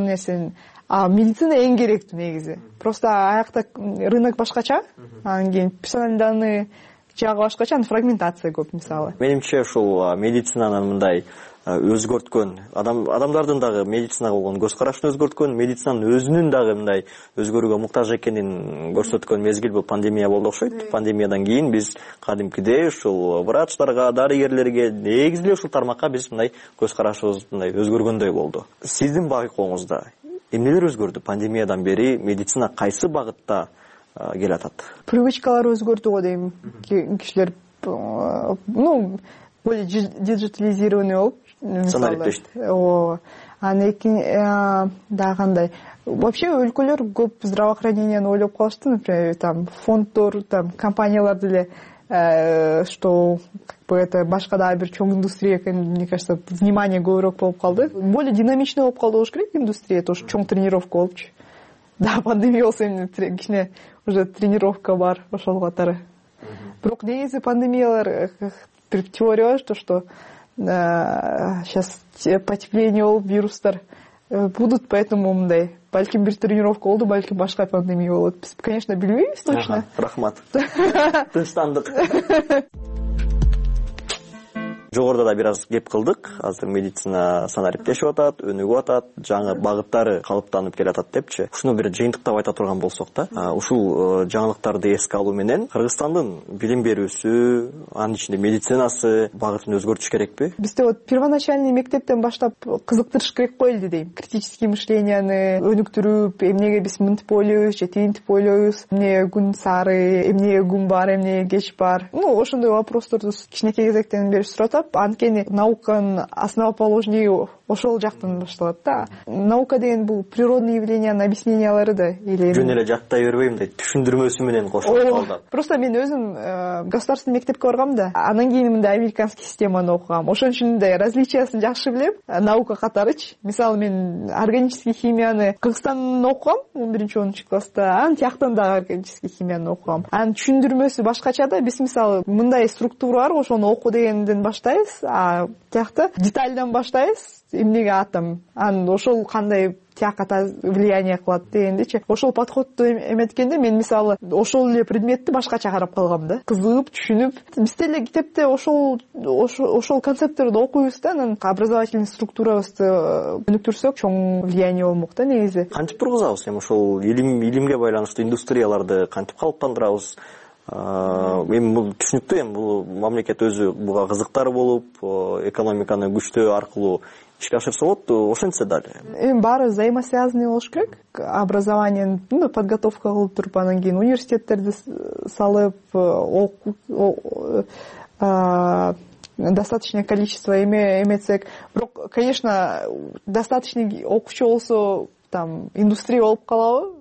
нерсени. А медицина эң керектүү негизи. Просто аякта рынок башкача, анан кийин персональный данные жагы башкача, фрагментация көп мисалы. Менимче ушул медицинанын мындай өзгөрткөн, адамдардын дагы медицинага болгон көз карашын өзгөрткөн, медицинанын өзүнүн дагы мындай өзгөрүүгө муктаж экенин көрсөткөн мезгил бул пандемия болду окшойт. Пандемиядан кийин биз кадимкидей ушул врачтарга, дарыгерлерге, негизи эле ушул тармакка биз мындай көз карашыбыз мындай өзгөргөндөй болду. Сиздин байкооңузда эмнелер өзгөрдү пандемиядан бери? Медицина кайсы багытта келатат? Привычкалар өзгөрдү го дейм. Кишилер более диджитализированный болуп санариптешти. Анан дагы кандай? Вообще өлкөлөр көп здравоохраненияны ойлоп калышты, например, там фонддор, там компаниялар деле, что это башка дагы бир чоң индустрия экен, мне кажется, внимание көбүрөөк болуп калды. Более динамичный болуп калды болуш керек индустрия, тоже чоң тренировка болупчу. Да, пандемия болсо эмне кичине уже тренировка бар ошол катары. Бирок негизи пандемиялар бир теория бар, что сейчас потепление болуп, вирустар будут, поэтому мындай балким бир тренировка болду, балким башка пандемия болот. Биз, конечно, билбейбиз точно. Рахмат. Тынчтандык. Жогоруда да бир аз кеп кылдык. Азыр медицина санариптешип атат, өнүгүп атат, жаңы багыттары калыптанып келатат депчи. Ушуну бир жыйынтыктап айта турган болсок да, ушул жаңылыктарды эске алуу менен Кыргызстандын билим берүүсү, анын ичинде медицинасы багытын өзгөртүш керекпи? Бизде вот первоначальный мектептен баштап кызыктырыш керек коелду дейм. Критический мышлениени өнүктүрүп, эмнеге биз мынтип ойлойбуз же тигинтип ойлойбуз, эмне күн сары, эмне күн бар, эмне кеч бар. Ошондой вопросторду кичинекей кезектен бери сурап баштап, анткени науканын основоположнии ошол жактан башталат да. Наука деген бул природный явлениянын объяснениялары да, или жөн эле жаттай бербейм дейт, түшүндүрмөсү менен кошулуп калды. Просто мен өзүм государственный мектепке баргам да, анан кийин мындай американский системаны окугам. Ошон үчүн мындай различиясын жакшы билем. Наука катарычы. Мисалы мен органический химияны Кыргызстандан окугам 11-10 класста, анан тияктан дагы органический химияны окугам. Анын түшүндүрмөсү башкача да. Биз мисалы мындай структура бар, ошону окуу дегенден баштайбыз, а тиякта детальдан баштайбыз. Эмнеге атом, анан ошол кандай тиякка влияние кылат дегендичи. Ошол подходду эметкенде мен мисалы ошол эле предметти башкача карап калгам да. Кызыгып, түшүнүп, биз деле китепте ошол концепттерди окуйбуз да, анан образовательный структурабызды өнүктүрсөк, чоң влияние болмок да негизи. Кантип тургузабыз эми ошол илимге байланыштуу индустрияларды кантип калыптандырабыз? Эми бул түшүнүктүү, эми бул мамлекет өзү буга кызыктар болуп, экономиканы күчтөө аркылуу ишке ашырса болот, ошентсе дали. Эми баары взаимосвязанный болуш керек. Образованиени подготовка кылып туруп, анан кийин университеттерди салып, достаточное количество эметсек. Бирок, конечно, достаточный окуучу болсо, там индустрия болуп калабы?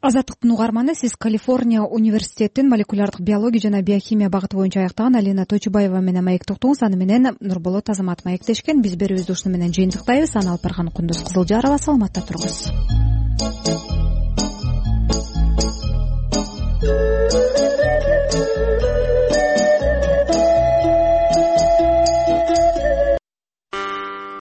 Азаттыктын угарманы, сиз Калифорния университетинин молекулярдык биология жана биохимия багыты боюнча аяктаган Алина Тойчубаева менен маектоктуңуз. Аны менен Нурболот Азамат маектешкен. Биз берүүбүздү ушуну менен жыйынтыктайбыз. Аны алып барган Кундуз Кызылжарова. Саламатта туруңуз.